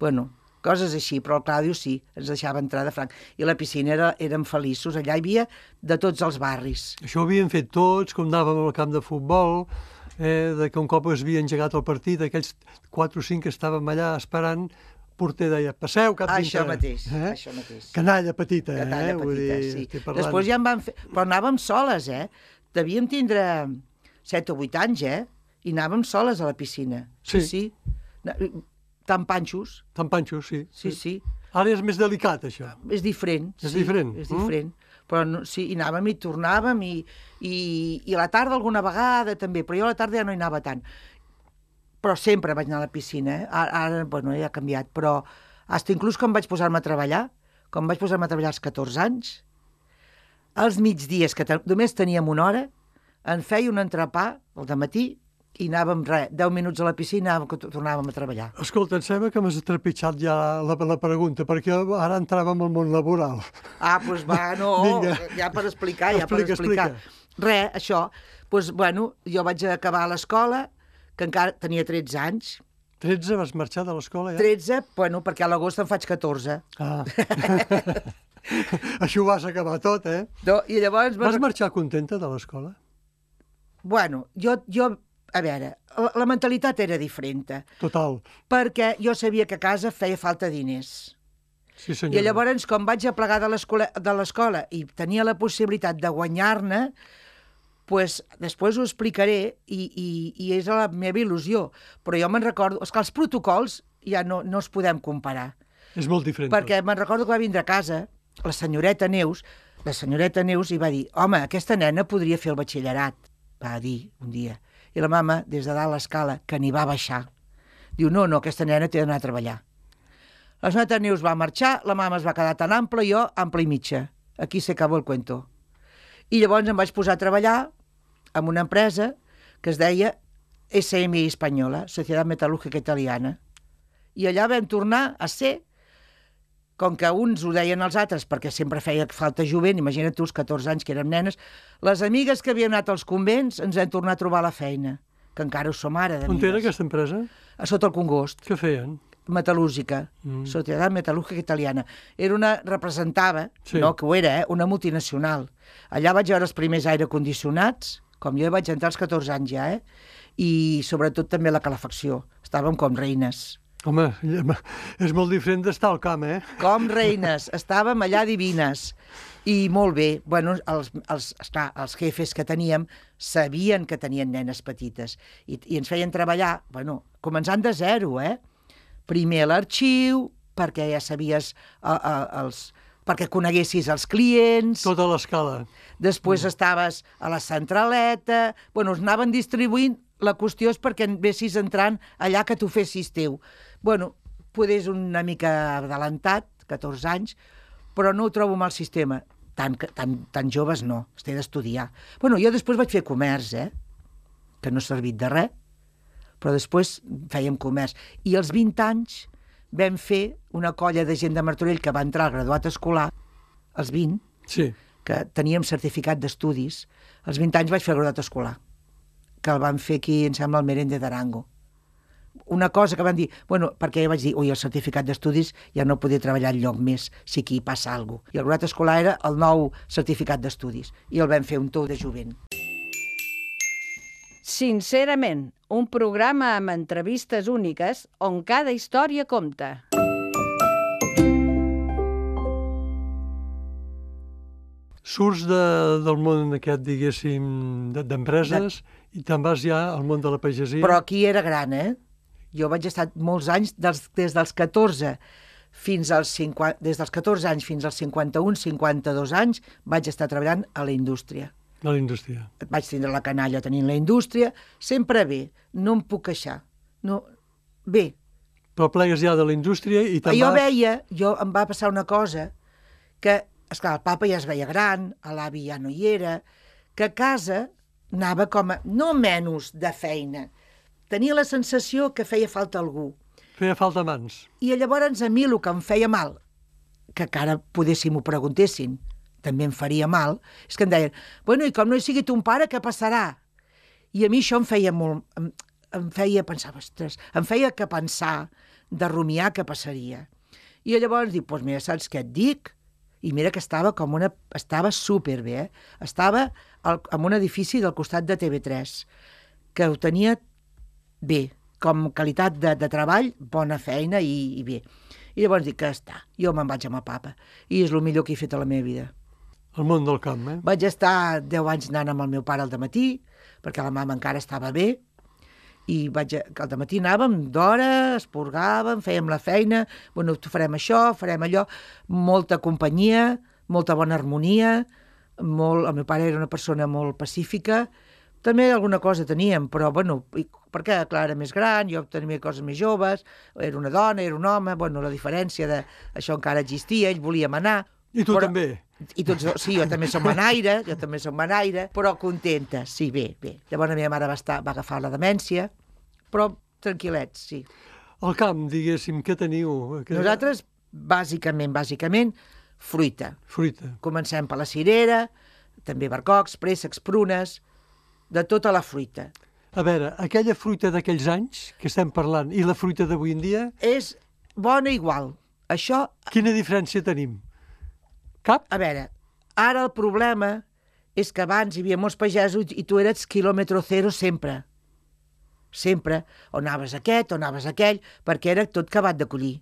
Bueno, coses així, però el Claudio sí, ens deixava entrar de franc. I la piscina era, érem feliços, allà hi havia de tots els barris.
Això ho havien fet tots, com anàvem al camp de futbol, eh, de que un cop es havia engegat el partit, aquells quatre o cinc que estàvem allà esperant, el porter deia, passeu cap dintre.
Això mateix, eh? això mateix.
Canalla petita,
Canalla
eh? Vull
petita,
dir,
sí.
estic parlant...
Després ja en van fer... Però anàvem soles, eh? Devíem tindre set o vuit anys, eh? I anàvem soles a la piscina. Sí,
Sí.
sí. Tan panxos.
Tan panxos, sí.
Sí, sí.
Ara és més delicat, això.
És diferent.
És
sí,
diferent,
És
mm?
diferent. Però no, sí, i anàvem i tornàvem i, i, i a la tarda alguna vegada també, però jo a la tarda ja no hi anava tant. Però sempre vaig anar a la piscina, eh? Ara, ara bueno, ja ha canviat, però fins inclús quan vaig posar-me a treballar, quan vaig posar-me a treballar als catorze anys, als migdies, que te, només teníem una hora, en feia un entrepà al dematí i anàvem, res, deu minuts a la piscina i tornàvem a treballar.
Escolta, em sembla que m'has trepitjat ja la, la pregunta, perquè ara entràvem al món laboral.
Ah, doncs va, no,
Vinga.
ja per explicar, ja
Explica,
per explicar.
explica.
Res, això, doncs, bueno, jo vaig acabar l'escola, que encara tenia tretze anys.
tretze vas marxar de l'escola ja?
tretze, bueno, perquè a l'agost en faig catorze.
Ah. Això ho vas acabar tot, eh?
No, i llavors...
Vas marxar contenta de l'escola?
Bueno, jo, jo, a veure, la, la mentalitat era diferent,
Total.
perquè jo sabia que a casa feia falta diners.
Sí, senyora.
I llavors, com vaig a plegar de l'escola de l'escola i tenia la possibilitat de guanyar-ne, pues, després ho explicaré i, i, i és la meva il·lusió. Però jo me'n recordo... És que els protocols ja no, no els podem comparar.
És molt diferent.
Perquè me'n recordo que va vindre a casa la senyoreta Neus, la senyoreta Neus i va dir, home, aquesta nena podria fer el batxillerat, va dir un dia. I la mama, des de dalt l'escala, que n'hi va baixar, diu, no, no, aquesta nena té d'anar a treballar. La senyoreta Neus va marxar, la mama es va quedar tan ampla, jo ampla i mitja. Aquí s'acaba el cuento. I llavors em vaig posar a treballar en una empresa que es deia S M I Espanyola, Societat Metal·lúrgica Italiana. I allà vam tornar a ser, com que uns ho deien als altres perquè sempre feia falta jovent, imagina't tu els catorze anys que érem nenes, les amigues que havien anat als convents ens vam tornar a trobar a la feina, que encara ho som ara d'amigues.
On era aquesta empresa?
A sota el Congost.
Què feien?
Metal·lúrgica,
Mm.
Societat Metal·lúrgica Italiana. Era una, representava,
Sí.
no, que ho era, eh, una multinacional. Allà vaig veure els primers aire condicionats, com jo vaig entrar als catorze anys ja, eh? I sobretot també la calefacció. Estàvem com reines.
Home, és molt diferent d'estar al camp, eh?
Com reines, estàvem allà divines. I molt bé, bueno, els, els, esclar, els jefes que teníem sabien que tenien nenes petites i, i ens feien treballar, bueno, començant de zero, eh? Primer a l'arxiu, perquè ja sabies a, a, els, perquè coneguessis els clients.
Tota l'escala.
Després mm. estaves a la centraleta, bueno, us anaven distribuint la qüestió és perquè vessis entrant allà que t'ho fessis teu. Bueno, poder és una mica adelantat, catorze anys, però no ho trobo mal sistema. Tan, tan, tan joves no, es té d'estudiar. Bueno, jo després vaig fer comerç, eh? Que no ha servit de res, però després fèiem comerç. I als vint anys vam fer una colla de gent de Martorell que va entrar al graduat escolar, als vint,
Sí.
que teníem certificat d'estudis. Als vint anys vaig fer el graduat escolar, que el van fer aquí, em sembla, al Merende d'Arango. Una cosa que van dir, bueno, perquè jo vaig dir, ui, el certificat d'estudis ja no podia treballar enlloc més si aquí passa alguna cosa. I el graduat escolar era el nou certificat d'estudis, i el vam fer un tou de jovent.
Sincerament, un programa amb entrevistes úniques on cada història compta.
Surts de, del món aquest, diguéssim, de- d'empreses i te'n vas ja al món de la pagesia.
Però aquí era gran, eh? Jo vaig estar molts anys, dels, des dels catorze fins als cinquanta, des dels catorze anys fins als cinquanta-un, cinquanta-dos anys, vaig estar treballant a la indústria.
De la indústria.
Vaig tindre la canalla tenint la indústria, sempre bé, no em puc queixar. No, bé.
Però plegues ja de la indústria i te'n
Jo
vas...
veia, jo em va passar una cosa, que, esclar, el papa ja es veia gran, l'avi ja no hi era, que a casa anava com a, no menys de feina, tenia la sensació que feia falta algú.
Feia falta mans.
I llavors a mi el que em feia mal, que encara podéssim ho preguntessin, també em faria mal, és que em deien, bueno, i com no hi sigui ton pare, què passarà? I a mi això em feia molt... Em, em feia pensar, ostres, em feia que pensar, de rumiar què passaria. I llavors dic, doncs mira, saps què et dic? I mira que estava com una... Estava superbé, eh? Estava al, en un edifici del costat de T V tres, que ho tenia bé, com qualitat de, de treball, bona feina i, i bé. I llavors dic que està, jo me'n vaig amb el papa. I és el millor que he fet a la meva vida.
El món del camp, eh?
Vaig estar deu anys anant amb el meu pare al dematí, perquè la mama encara estava bé, i vaig, al dematí anàvem d'hora, esporgàvem, fèiem la feina, bueno, farem això, farem allò, molta companyia, molta bona harmonia, molt, el meu pare era una persona molt pacífica, també alguna cosa teníem, però, bueno, perquè, clar, era més gran, jo tenia coses més joves, era una dona, era un home, bueno, la diferència d'això encara existia, ell volia manar.
I tu
però,
també.
I tots, sí, jo també som manaire, jo també som manaire, però contenta, sí, bé, bé. Llavors la meva mare va, estar, va agafar la demència, però tranquil·lets, sí.
El camp, diguéssim, què teniu? Que...
Nosaltres, bàsicament, bàsicament, fruita.
Fruita.
Comencem per la cirera, també barcocs, préssecs, prunes, de tota la fruita.
A veure, aquella fruita d'aquells anys que estem parlant i la fruita d'avui en dia...
És bona igual. Això...
Quina diferència tenim? Cap?
A veure, ara el problema és que abans hi havia molts pagesos i tu eres quilòmetre zero sempre. Sempre. O anaves aquest, o anaves aquell, perquè era tot acabat de collir.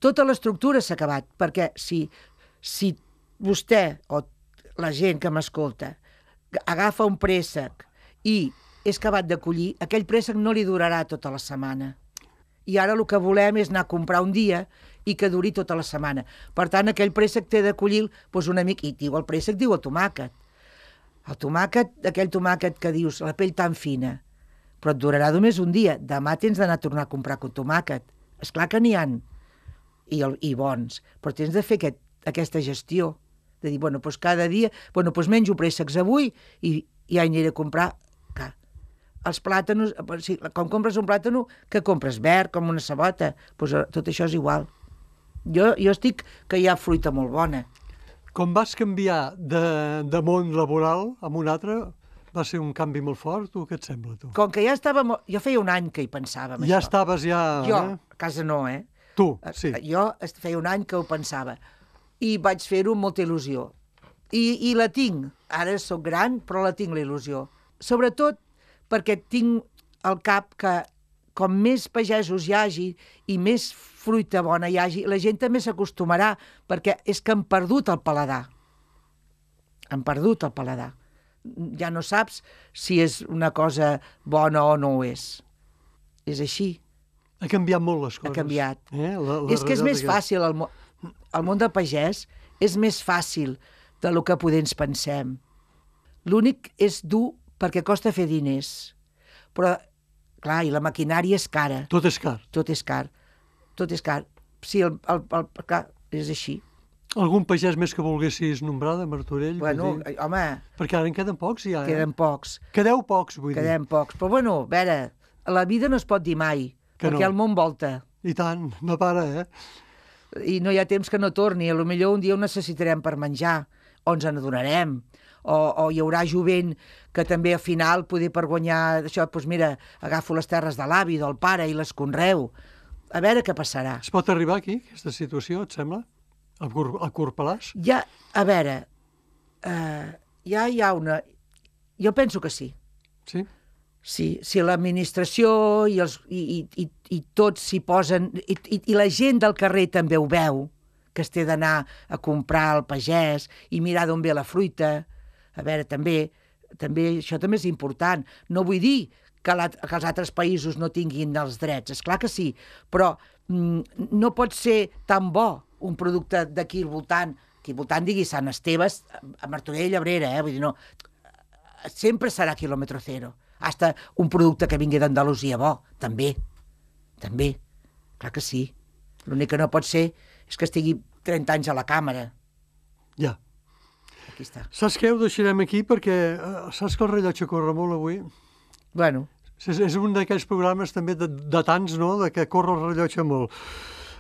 Tota l'estructura s'ha acabat, perquè si, si vostè o la gent que m'escolta agafa un préssec i és acabat de collir, aquell préssec no li durarà tota la setmana. I ara el que volem és anar a comprar un dia i que duri tota la setmana. Per tant, aquell préssec té de collir doncs una mica, i diu el préssec, diu el tomàquet. El tomàquet, aquell tomàquet que dius, la pell tan fina, però et durarà només un dia. Demà tens d'anar a tornar a comprar un tomàquet. Esclar que n'hi ha, i, el, i bons, però tens de fer aquest, aquesta gestió, de dir, bueno, doncs cada dia, bueno, doncs menjo préssecs avui i ja aniré a comprar. Clar, els plàtanos, si, quan compres un plàtano, que compres verd, com una sabota, doncs tot això és igual. Jo, jo estic que hi ha fruita molt bona.
Com vas canviar de, de món laboral a un altre, va ser un canvi molt fort, o què et sembla, tu?
Com que ja estava... Molt... Jo feia un any que hi pensava, amb
Ja
això.
estaves ja...
Jo,
Eh?
a casa no, eh?
Tu, sí.
Jo feia un any que ho pensava. I vaig fer-ho amb molta il·lusió. I, I la tinc. Ara sóc gran, però la tinc, la il·lusió. Sobretot perquè tinc al cap que com més pagesos hi hagi i més fruita bona hi hagi, la gent també s'acostumarà, perquè és que han perdut el paladar. Han perdut el paladar. Ja no saps si és una cosa bona o no ho és. És així.
Ha canviat molt les coses.
Ha canviat.
Eh? La, la
És que és més
realitat
fàcil, el, mo el món del pagès és més fàcil de lo que poder ens pensem. L'únic és dur perquè costa fer diners. Però, clar, i la maquinària és cara.
Tot és car.
Tot és car. Tot és car. Sí, el, el, el, clar, és així.
Algun pagès més que volguessis nombrar de Martorell?
Bueno,
dir?
home...
Perquè ara en queden pocs, ja, eh?
Queden pocs.
Quedeu pocs, vull
Quedem
dir.
pocs. Però, bueno, a veure, la vida no es pot dir mai,
Que
perquè
no.
el món volta.
I tant, no para, eh?
I no hi ha temps que no torni. A lo millor un dia ho necessitarem per menjar, o ens n'adonarem, o, o hi haurà jovent que també al final, poder per guanyar això, doncs mira, agafo les terres de l'avi, del pare, i les conreu. A veure què passarà.
Es pot arribar aquí, aquesta situació, et sembla? A, Cur a Corpalàs?
Ja, a veure, uh, ja hi ha una... Jo penso que sí.
Sí?
Sí, si l'administració i, els, i, i, i, i tots s'hi posen, i, i, i la gent del carrer també ho veu, que es té d'anar a comprar al pagès i mirar d'on ve la fruita. A veure, també, també això també és important. No vull dir que, la, que els altres països no tinguin els drets, és clar que sí, però mm, no pot ser tan bo un producte d'aquí al voltant, aquí al voltant digui Sant Esteves, a Martorell, Abrera, eh? Vull dir, no, sempre serà quilòmetre zero. Hasta un producte que vingui d'Andalusia bo, també, també, clar que sí. L'únic que no pot ser és que estigui trenta anys a la càmera.
Ja.
Aquí està.
Saps què? Ho deixarem aquí perquè eh, saps que el rellotge corre molt avui?
Bueno,
És, és un d'aquells programes també de, de tants, no?, de que corre el rellotge molt.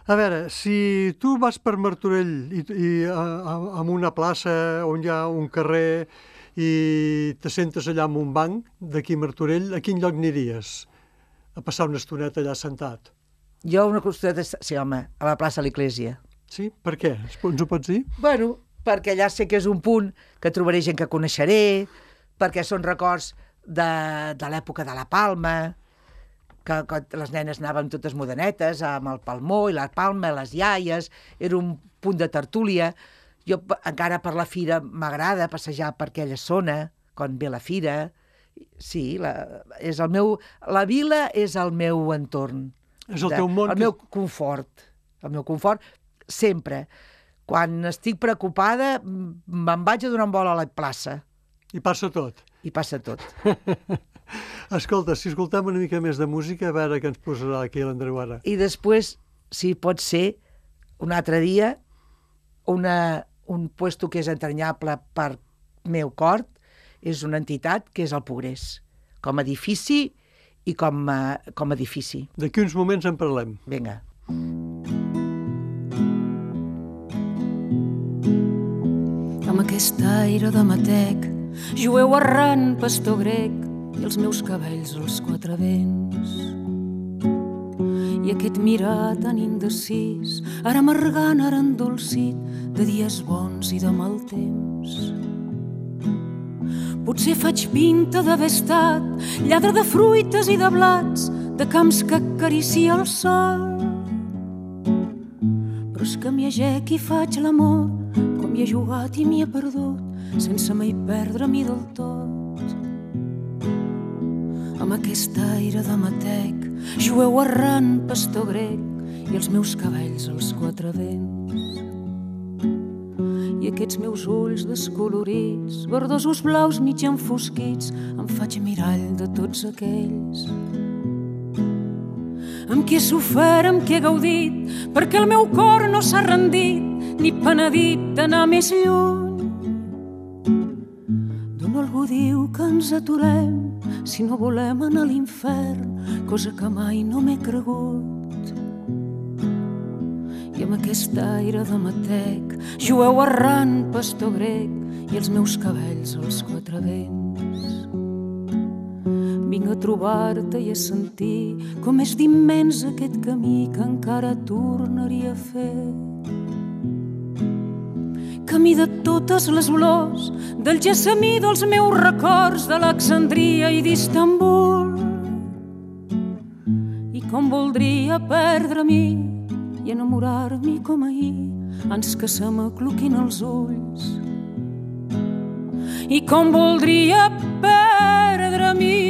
A veure, si tu vas per Martorell i, i a, a, en una plaça on hi ha un carrer i te sentes allà en un banc d'aquí a Martorell, a quin lloc aniries? A passar una estoneta allà sentat?
jo una costada... Sí, home, a la plaça de l'Església.
Sí? Per què? Ens ho pots dir?
Bueno, perquè allà sé que és un punt que trobaré gent que coneixeré, perquè són records de, de l'època de la Palma, que, que les nenes anaven totes modernetes, amb el palmó i la palma, les iaies, era un punt de tertúlia. Jo encara per la fira m'agrada passejar per aquella zona, quan ve la fira. Sí, la, és el meu, la vila és el meu entorn.
És el teu món?
El meu confort. El meu confort, sempre. Quan estic preocupada, me'n vaig a donar un vol a la plaça.
I passa tot.
I passa tot.
Escolta, si escoltem una mica més de música, a veure què ens posarà aquí l'Andreu ara.
I després, si pot ser, un altre dia, una, un puesto que és entranyable per meu cor, és una entitat que és el Progrés, com a edifici i com a, com a edifici.
D'aquí uns moments en parlem.
Vinga.
Amb aquest aire de matec, jueu errant, pastor grec, i els meus cabells als quatre vents. I aquest mirar tan indecis, ara amargant, ara endolcit, de dies bons i de mal temps. Potser faig pinta d'haver estat lladre de fruites i de blats, de camps que acaricia el sol. Però és que m'hi agec i faig l'amor, com hi he jugat i m'hi he perdut, sense mai perdre-m'hi del tot. Amb aquest aire de matec, jueu errant, pastor grec, i els meus cabells als quatre vents. I aquests meus ulls descolorits, verdosos blaus mig enfosquits, em faig mirall de tots aquells amb qui he sofert, amb qui he gaudit, perquè el meu cor no s'ha rendit ni penedit d'anar més lluny. D'on algú diu que ens aturem si no volem anar a l'infern, cosa que mai no m'he cregut. I amb aquest aire de matec, jueu errant, pastor grec, i els meus cabells als quatre vents. Vinc a trobar-te i a sentir com és d'immens aquest camí que encara tornaria a fer. Camí de totes les olors, del gessamí dels meus records, d'Alexandria i d'Istanbul. I com voldria perdre-m'hi i enamorar-m'hi com ahir, ans que se m'acluquin els ulls. I com voldria perdre-m'hi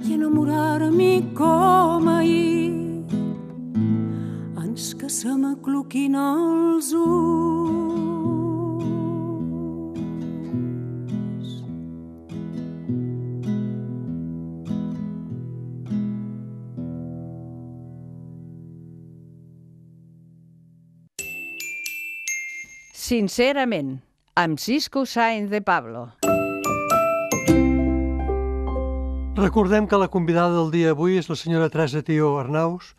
i enamorar-m'hi com ahir, ans que se m'acluquin els ulls.
Sincerament, amb Cisco Sáenz de Pablo.
Recordem que la convidada del dia avui és la senyora Teresa Tió Arnaus.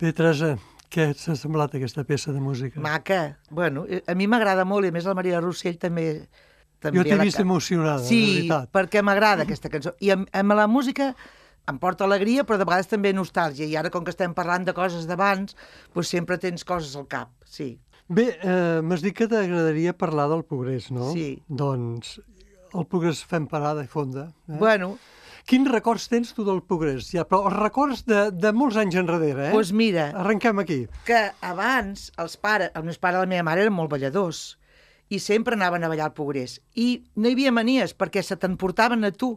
Bé, Teresa, què t'ha semblat aquesta peça de música?
Maca. Bueno, a mi m'agrada molt i a més la Maria Rossell també... també
Jo t'he
la
vist
ca-
emocionada,
sí,
de veritat.
perquè m'agrada aquesta cançó. I amb, amb la música em porta alegria, però de vegades també nostàlgia. I ara, com que estem parlant de coses d'abans, doncs sempre tens coses al cap, sí.
Bé, eh, m'has dit que t'agradaria parlar del progrés, no?
Sí.
Doncs el progrés fem parada i fonda. Eh?
Bueno,
Quins records tens tu del progrés? Ja, però els records de, de molts anys enrere, eh?
doncs mira,
Arrenquem aquí.
que abans els pares, els meus pares i la meva mare eren molt balladors i sempre anaven a ballar al progrés. I no hi havia manies perquè se t'emportaven a tu.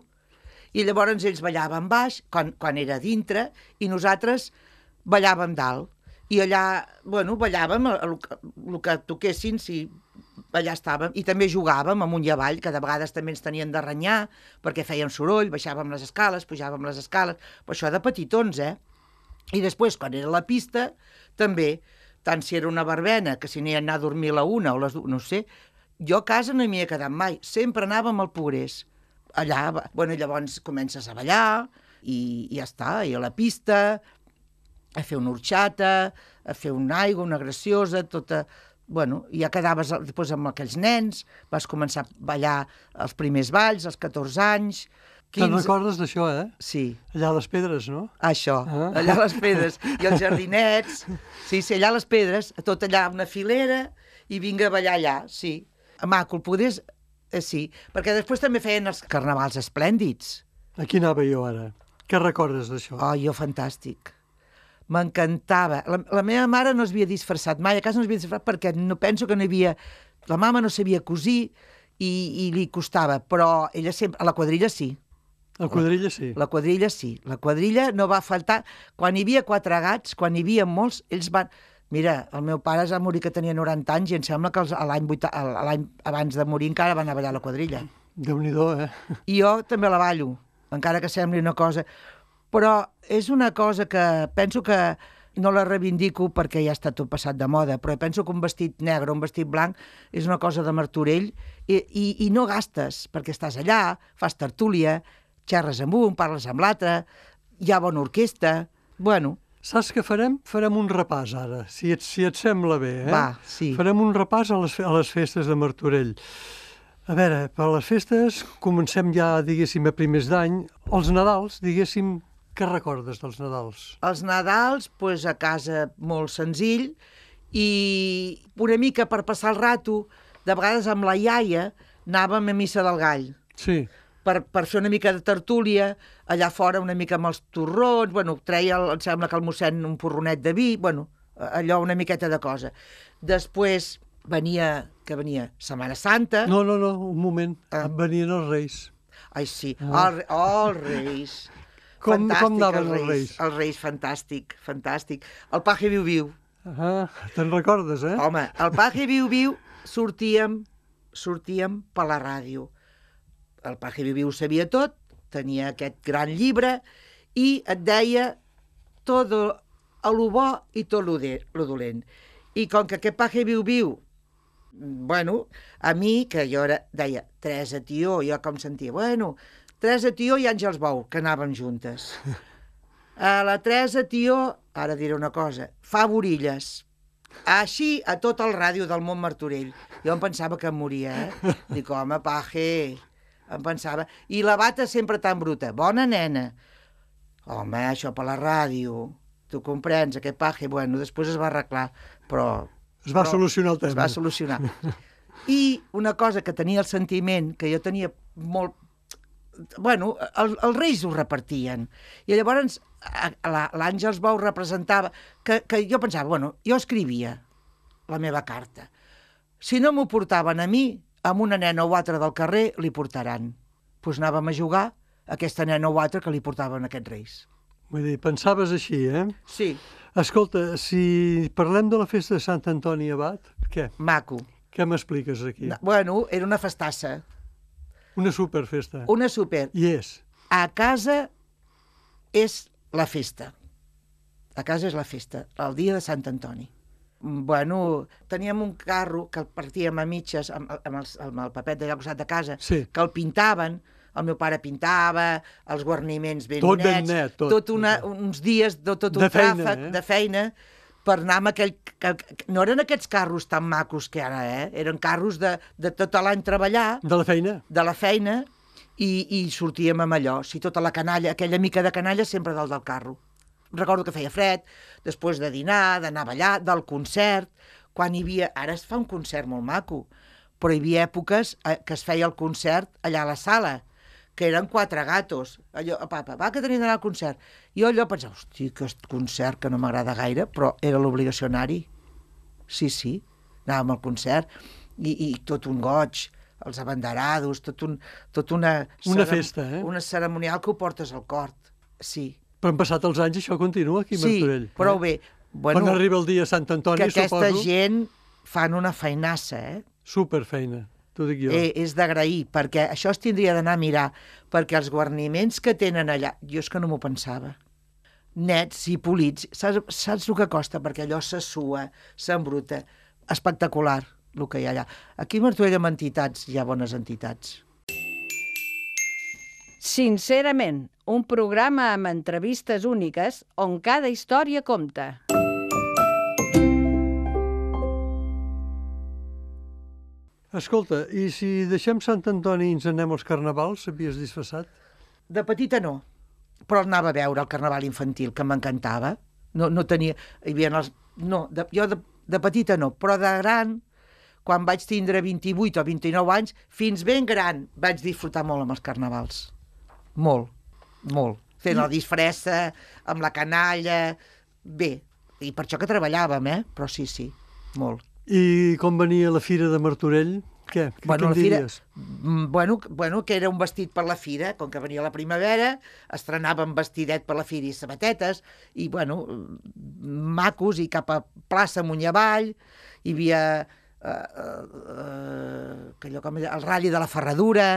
I llavors ells ballaven baix, quan, quan era dintre, i nosaltres ballàvem dalt. I allà, bueno, ballàvem el, el, el que toquessin, si allà estàvem, i també jugàvem amunt i avall, que de vegades també ens tenien de renyar, perquè fèiem soroll, baixàvem les escales, pujàvem les escales, però això de petitons, eh? I després, quan era la pista, també, tant si era una verbena, que si n'hi ha anar a dormir a la una o les dues, no sé, jo a casa no m'hi he quedat mai, sempre anàvem al progrés. Allà, bueno, llavors comences a ballar, i, i ja està, i a la pista, a fer una horxata, a fer una aigua, una graciosa, tota... Bueno, ja quedaves després amb aquells nens, vas començar a ballar els primers balls, als catorze anys...
Te'n recordes d'això, eh?
Sí.
Allà a les Pedres, no?
Això,
Ah.
allà a les Pedres. I els jardinets, sí, sí, allà a les Pedres, tot allà una filera, i vinga a ballar allà, sí. Maco, el podés... Eh, sí, perquè després també feien els carnavals esplèndids.
Aquí anava jo ara. Què recordes d'això?
Oh, jo fantàstic. M'encantava. La, la meva mare no es havia disfressat mai, a casa no es havia disfressat perquè no penso que no hi havia... La mama no sabia cosir i, i li costava, però ella sempre... A la quadrilla sí.
La quadrilla sí.
La quadrilla sí. La quadrilla no va faltar... Quan hi havia quatre gats, quan hi havia molts, ells van... Mira, el meu pare es va morir que tenia noranta anys i em sembla que els- a l'any vuita- a l'any abans de morir encara van anar a ballar la quadrilla.
Déu-n'hi-do, eh?
I jo també la ballo, encara que sembli una cosa... Però és una cosa que penso que no la reivindico perquè ja està tot passat de moda, però penso que un vestit negre o un vestit blanc és una cosa de Martorell i, i, i no gastes, perquè estàs allà, fas tertúlia, xerres amb un, parles amb l'altre, hi ha bona orquestra... Bueno,
Saps què farem? Farem un repàs ara, si et, si et sembla bé, eh?
Va, sí.
Farem un repàs a les, fe- a les festes de Martorell. A veure, per les festes comencem ja, diguéssim, a primers d'any. Els Nadals, diguéssim, què recordes dels Nadals?
els Nadals, pues, a casa molt senzill i una mica per passar el rato, de vegades amb la iaia anàvem a Missa del Gall.
Sí.
Per, per fer una mica de tertúlia, allà fora una mica amb els torrons, bueno, treia, el, em sembla que el mossèn un porronet de vi, bueno, allò una miqueta de cosa. Després venia, que venia Setmana Santa.
No, no, no, un moment.
Ah.
Venien els Reis.
Ai, sí,
Ah.
el, oh, els Reis.
Com-
Fantàstic,
com anaven els Reis?
Els Reis, fantàstic, fantàstic. El paje viu-viu.
Ah, te'n recordes, eh?
Home, el paje viu-viu sortíem, sortíem per la ràdio. El paje viu-viu ho sabia tot, tenia aquest gran llibre i et deia tot el bo i tot lo, de, lo dolent. I com que aquest paje viu-viu, bueno, a mi, que jo era, deia, Teresa Tió, jo com sentia, bueno, Teresa Tió i Àngels Bou, que anàvem juntes. A la Teresa Tió, ara diré una cosa, fa borilles. Així a tot el ràdio del món Martorell. Jo em pensava que em moria, eh? Dic, home, paje, em pensava. I la bata sempre tan bruta. Bona nena. Home, això per la ràdio. Tu comprens, aquest paje. Bueno, després es va arreglar, però...
Es va
però
solucionar el tema.
Es va solucionar. I una cosa que tenia el sentiment, que jo tenia molt... Bueno, el, els Reis ho repartien. I llavors a- a la- l'Àngels Bou representava... Que, que jo pensava, bueno, jo escrivia la meva carta. Si no m'ho portaven a mi, amb una nena o altra del carrer, li portaran. Doncs pues anàvem a jugar a aquesta nena o altra que li portaven aquests Reis.
Vull dir, pensaves així, eh?
Sí,
Escolta, si parlem de la festa de Sant Antoni Abat, què?
maco.
Què m'expliques aquí?
No, bueno, era una festassa,
Una superfesta.
una super.
I és.
A casa és la festa. A casa és la festa, el dia de Sant Antoni. Bueno, teníem un carro que el partíem a mitges amb, amb, el, amb el papet d'allà al costat de casa,
Sí.
que el pintaven, el meu pare pintava, els guarniments ben
Tot ben
nets,
net, tot.
tot una, uns dies de tot un
De feina,
tràfic
eh?
de feina per anar amb aquell... Que, que, no eren aquests carros tan macos que ara, eh? Eren carros de, de tot l'any treballar,
De la feina?
de la feina, i, i sortíem amb allò. Si tota la canalla, aquella mica de canalla sempre dalt del carro. Recordo que feia fred, després de dinar, d'anar a ballar, del concert, quan hi havia... Ara es fa un concert molt maco, però hi havia èpoques eh, que es feia el concert allà a la sala, que eren quatre gatos. Allò, papa, va, que tenim d'anar al concert. I jo allò pensava, hosti, aquest concert que no m'agrada gaire, però era l'obligació anar-hi. Sí, sí, anàvem al concert, i, i tot un goig, els abanderados, tot un, tot una...
Una festa, eh?
Una ceremonial que ho portes al cor, sí.
Però han passat els anys i això continua aquí a
Sí,
Martorell.
prou
eh?
bé. Bueno,
Quan arriba el dia de Sant Antoni,
que aquesta
suposo...
gent fan una feinassa, eh?
Superfeina, t'ho dic jo.
eh? És d'agrair, perquè això es tindria d'anar a mirar, perquè els guarniments que tenen allà, jo és que no m'ho pensava, nets i polits, saps, saps el que costa? Perquè allò se sua, s'embruta, espectacular el que hi ha allà. Aquí a Martorell amb entitats hi ha bones entitats.
Sincerament, un programa amb entrevistes úniques on cada història compta.
Escolta, i si deixem Sant Antoni i ens anem als carnavals, s'havies disfressat?
De petita no, però anava a veure el carnaval infantil, que m'encantava. No, no tenia... Hi havia els... No, de, jo de, de petita no, però de gran, quan vaig tindre vint-i-vuit o vint-i-nou anys, fins ben gran, vaig disfrutar molt amb els carnavals. Molt, molt. Fent la disfressa, amb la canalla... Bé, i per això que treballàvem, eh? Però sí, sí, molt.
I com venia la fira de Martorell? Què? Què
Bueno,
em
la fira,
diries?
mm, bueno, bueno, que era un vestit per la fira, com que venia la primavera, estrenàvem vestidet per la fira i sabatetes, i, bueno, macos, i cap a plaça amunt i avall, hi havia eh, eh, allò com era, el Rally de la Ferradura,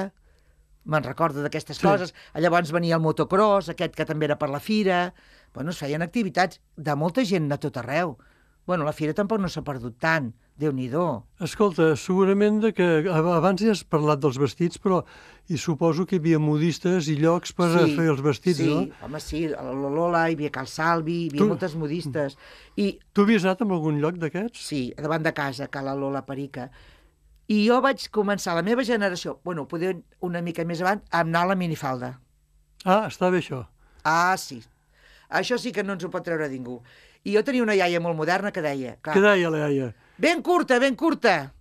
me'n recordo d'aquestes
Sí.
coses, llavors venia el motocross, aquest que també era per la fira, bueno, es feien activitats de molta gent de tot arreu. Bueno, la fira tampoc no s'ha perdut tant, Déu-n'hi-do.
Escolta, segurament de que abans ja has parlat dels vestits, però i suposo que hi havia modistes i llocs per
Sí,
fer els vestits,
sí,
no?
home, sí, a la Lola, hi havia Cal Salvi, hi havia
Tu-
moltes modistes. I
Tu havies anat a algun lloc d'aquests?
sí, davant de casa, Cal la Lola Perica. I jo vaig començar, la meva generació, bueno, poder una mica més avant, a anar a la minifalda.
Ah, està bé això.
Ah, sí. Això sí que no ens ho pot treure ningú. I jo tenia una iaia molt moderna que deia, clar,
Què deia la iaia?
ben curta, ben curta.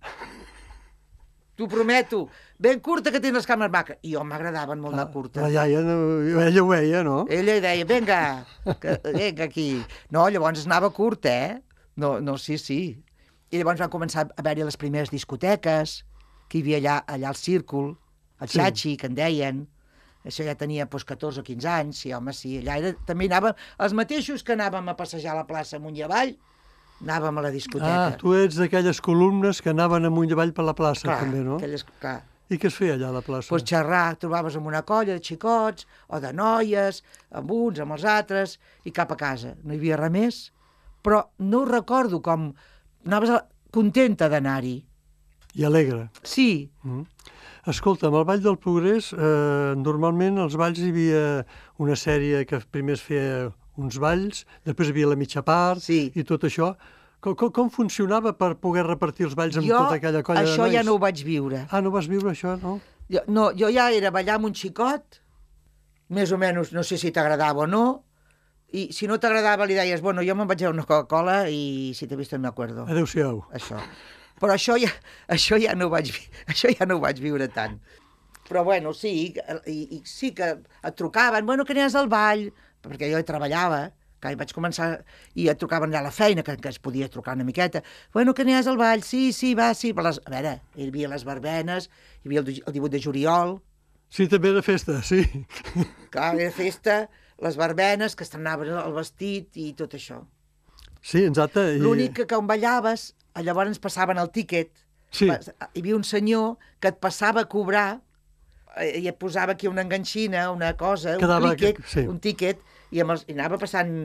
T'ho prometo, ben curta que tens les cames maques. I jo m'agradaven molt de curta.
La iaia, no, ella ho veia, no?
Ella deia, vinga, que, vinga aquí. No, llavors anava curta, eh? No, no, sí, sí. I llavors van començar a haver-hi les primeres discoteques, que hi havia allà, allà al Círcul, el
Sí.
Xachi, que en deien. Això ja tenia doncs, catorze o quinze anys, sí, home, sí. Allà era, també anàvem, els mateixos que anàvem a passejar a la plaça amunt i avall, anàvem a la discoteca.
Ah, tu ets d'aquelles columnes que anaven amunt i avall per la plaça,
clar,
també, no?
Aquelles, clar.
I què es feia allà a la plaça?
Pues xerrar, trobaves amb una colla de xicots o de noies, amb uns, amb els altres, i cap a casa. No hi havia res més, però no ho recordo com... Anaves a... contenta d'anar-hi.
I alegre.
Sí,
Mm. Escolta, amb el Ball del Progrés, eh, normalment als balls hi havia una sèrie que primer es feia uns balls, després hi havia la mitja part
Sí.
i tot això. Com, com, com funcionava per poder repartir els balls amb
jo
tota aquella colla de
això
nois?
ja no ho vaig viure.
Ah, no vas viure això, no?
Jo, no, jo ja era ballar amb un xicot, més o menys, no sé si t'agradava o no, i si no t'agradava li deies, bueno, jo me'n vaig a una Coca-Cola i si t'he vist no m'acuerdo.
Adéu-siau.
Això. Però això ja, això ja no ho vaig, vi- això ja no ho vaig viure tant. Però bueno, sí, i, i sí que et trucaven, bueno, que anies al ball, perquè jo hi treballava, que hi vaig començar, i et trucaven allà a la feina, que, que es podia trucar una miqueta, bueno, que anies al ball, sí, sí, va, sí, per les... A veure, hi havia les verbenes, hi havia el, el divuit de juliol,
Sí, també era festa, sí.
clar, era festa, les verbenes, que estrenaven el vestit i tot això.
Sí, exacte. I...
L'únic que quan ballaves, llavors ens passaven el tíquet.
Sí.
Pas- Hi havia un senyor que et passava a cobrar eh, i et posava aquí una enganxina, una cosa,
Quedava
un tíquet,
que- sí.
un tíquet i, amb els, i anava passant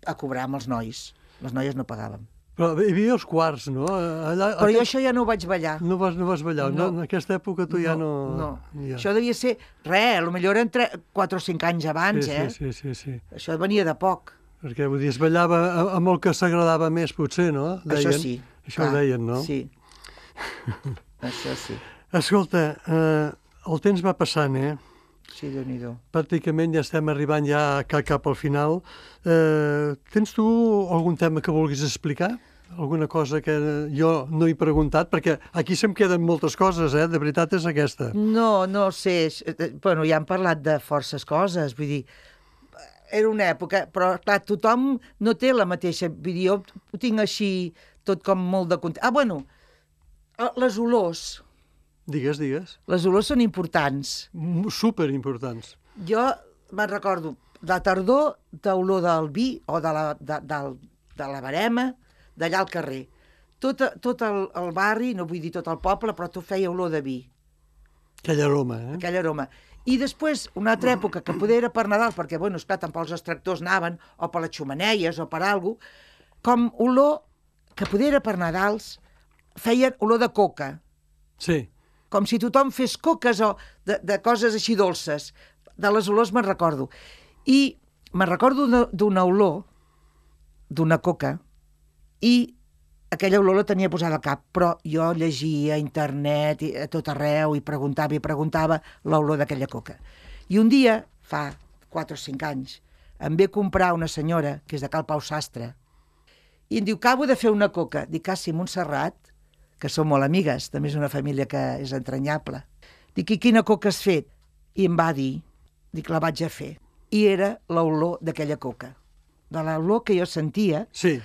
a cobrar amb els nois. Les noies no pagaven.
Però hi havia els quarts, no? Allà,
Però
aquest...
jo això ja no ho vaig ballar.
No vas, no vas ballar, no.
No.
En aquesta època tu ja no...
No,
Ja.
això devia ser, res, potser eren quatre o cinc anys abans,
sí,
eh?
Sí, sí, sí, sí.
Això venia de poc.
Perquè, vull dir, es ballava amb el que s'agradava més, potser, no? Deien.
Això sí.
Això ho deien, no?
Sí. Això sí.
Escolta, eh, el temps va passant, eh?
Sí, Déu-n'hi-do.
Pràcticament ja estem arribant ja cap, cap al final. Eh, tens tu algun tema que vulguis explicar? Alguna cosa que jo no he preguntat? Perquè aquí se'm queden moltes coses, eh? De veritat és aquesta.
No, no sé. Bueno, ja hem parlat de forces coses, vull dir, era una època, però clar, tothom no té la mateixa... Vull dir, jo ho tinc així tot com molt de... Ah, bueno, les olors...
Digues, digues.
Les olors són importants.
Super importants.
Jo me'n recordo de tardor d'olor del vi o de la, de, de, de la barema, d'allà al carrer. Tot, tot el, el barri, no vull dir tot el poble, però tot feia olor de vi.
Aquell aroma, eh?
Aquell aroma. I després, una altra època, que poder era per Nadal, perquè, bueno, esclar, tant pels extractors anaven, o per les xumaneies, o per alguna cosa, com olor, que poder era per Nadals, feien olor de coca.
Sí.
Com si tothom fes coques o de, de coses així dolces. De les olors me'n recordo. I me'n recordo d'una olor, d'una coca, i aquella olor la tenia posada al cap, però jo llegia a internet, i a tot arreu, i preguntava i preguntava l'olor d'aquella coca. I un dia, fa quatre o cinc anys, em ve comprar una senyora, que és de Cal Pau Sastre, i em diu, acabo de fer una coca. Dic, ah, sí, Montserrat, que som molt amigues, també és una família que és entranyable. Dic, i quina coca has fet? I em va dir, dic, la vaig a fer. I era l'olor d'aquella coca. De l'olor que jo sentia,
sí.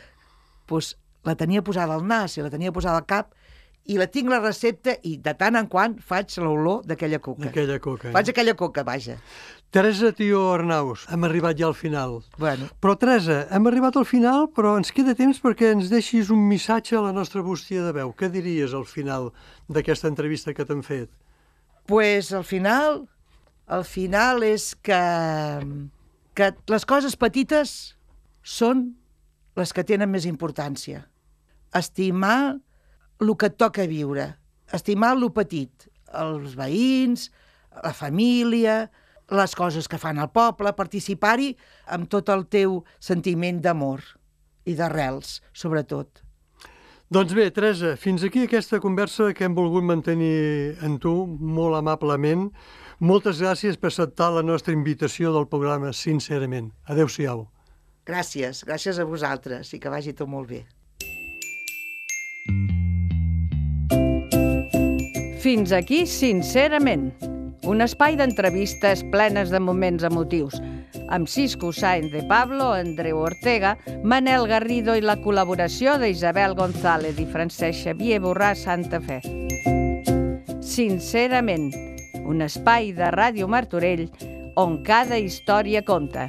Doncs la tenia posada al nas i la tenia posada al cap, i la tinc la recepta i de tant en quant faig l'olor d'aquella coca.
D'aquella coca. Eh?
Faig aquella coca, vaja.
Teresa Tió Arnaus, hem arribat ja al final.
Bueno.
Però, Teresa, hem arribat al final, però ens queda temps perquè ens deixis un missatge a la nostra bústia de veu. Què diries al final d'aquesta entrevista que t'han fet?
Pues al final, al final és que, que les coses petites són les que tenen més importància. Estimar el que et toca viure, estimar el petit, els veïns, la família, les coses que fan al poble, participar-hi amb tot el teu sentiment d'amor i d'arrels, sobretot.
Doncs bé, Teresa, fins aquí aquesta conversa que hem volgut mantenir amb tu, molt amablement. Moltes gràcies per acceptar la nostra invitació del programa, sincerament. Adéu-siau.
Gràcies, gràcies a vosaltres i que vagi tot molt bé.
Fins aquí, sincerament, un espai d'entrevistes plenes de moments emotius, amb Cisco Sáenz de Pablo, Andreu Ortega, Manel Garrido i la col·laboració d'Isabel González i Francesc Xavier Borràs Santa Fe. Sincerament, un espai de Ràdio Martorell on cada història compta.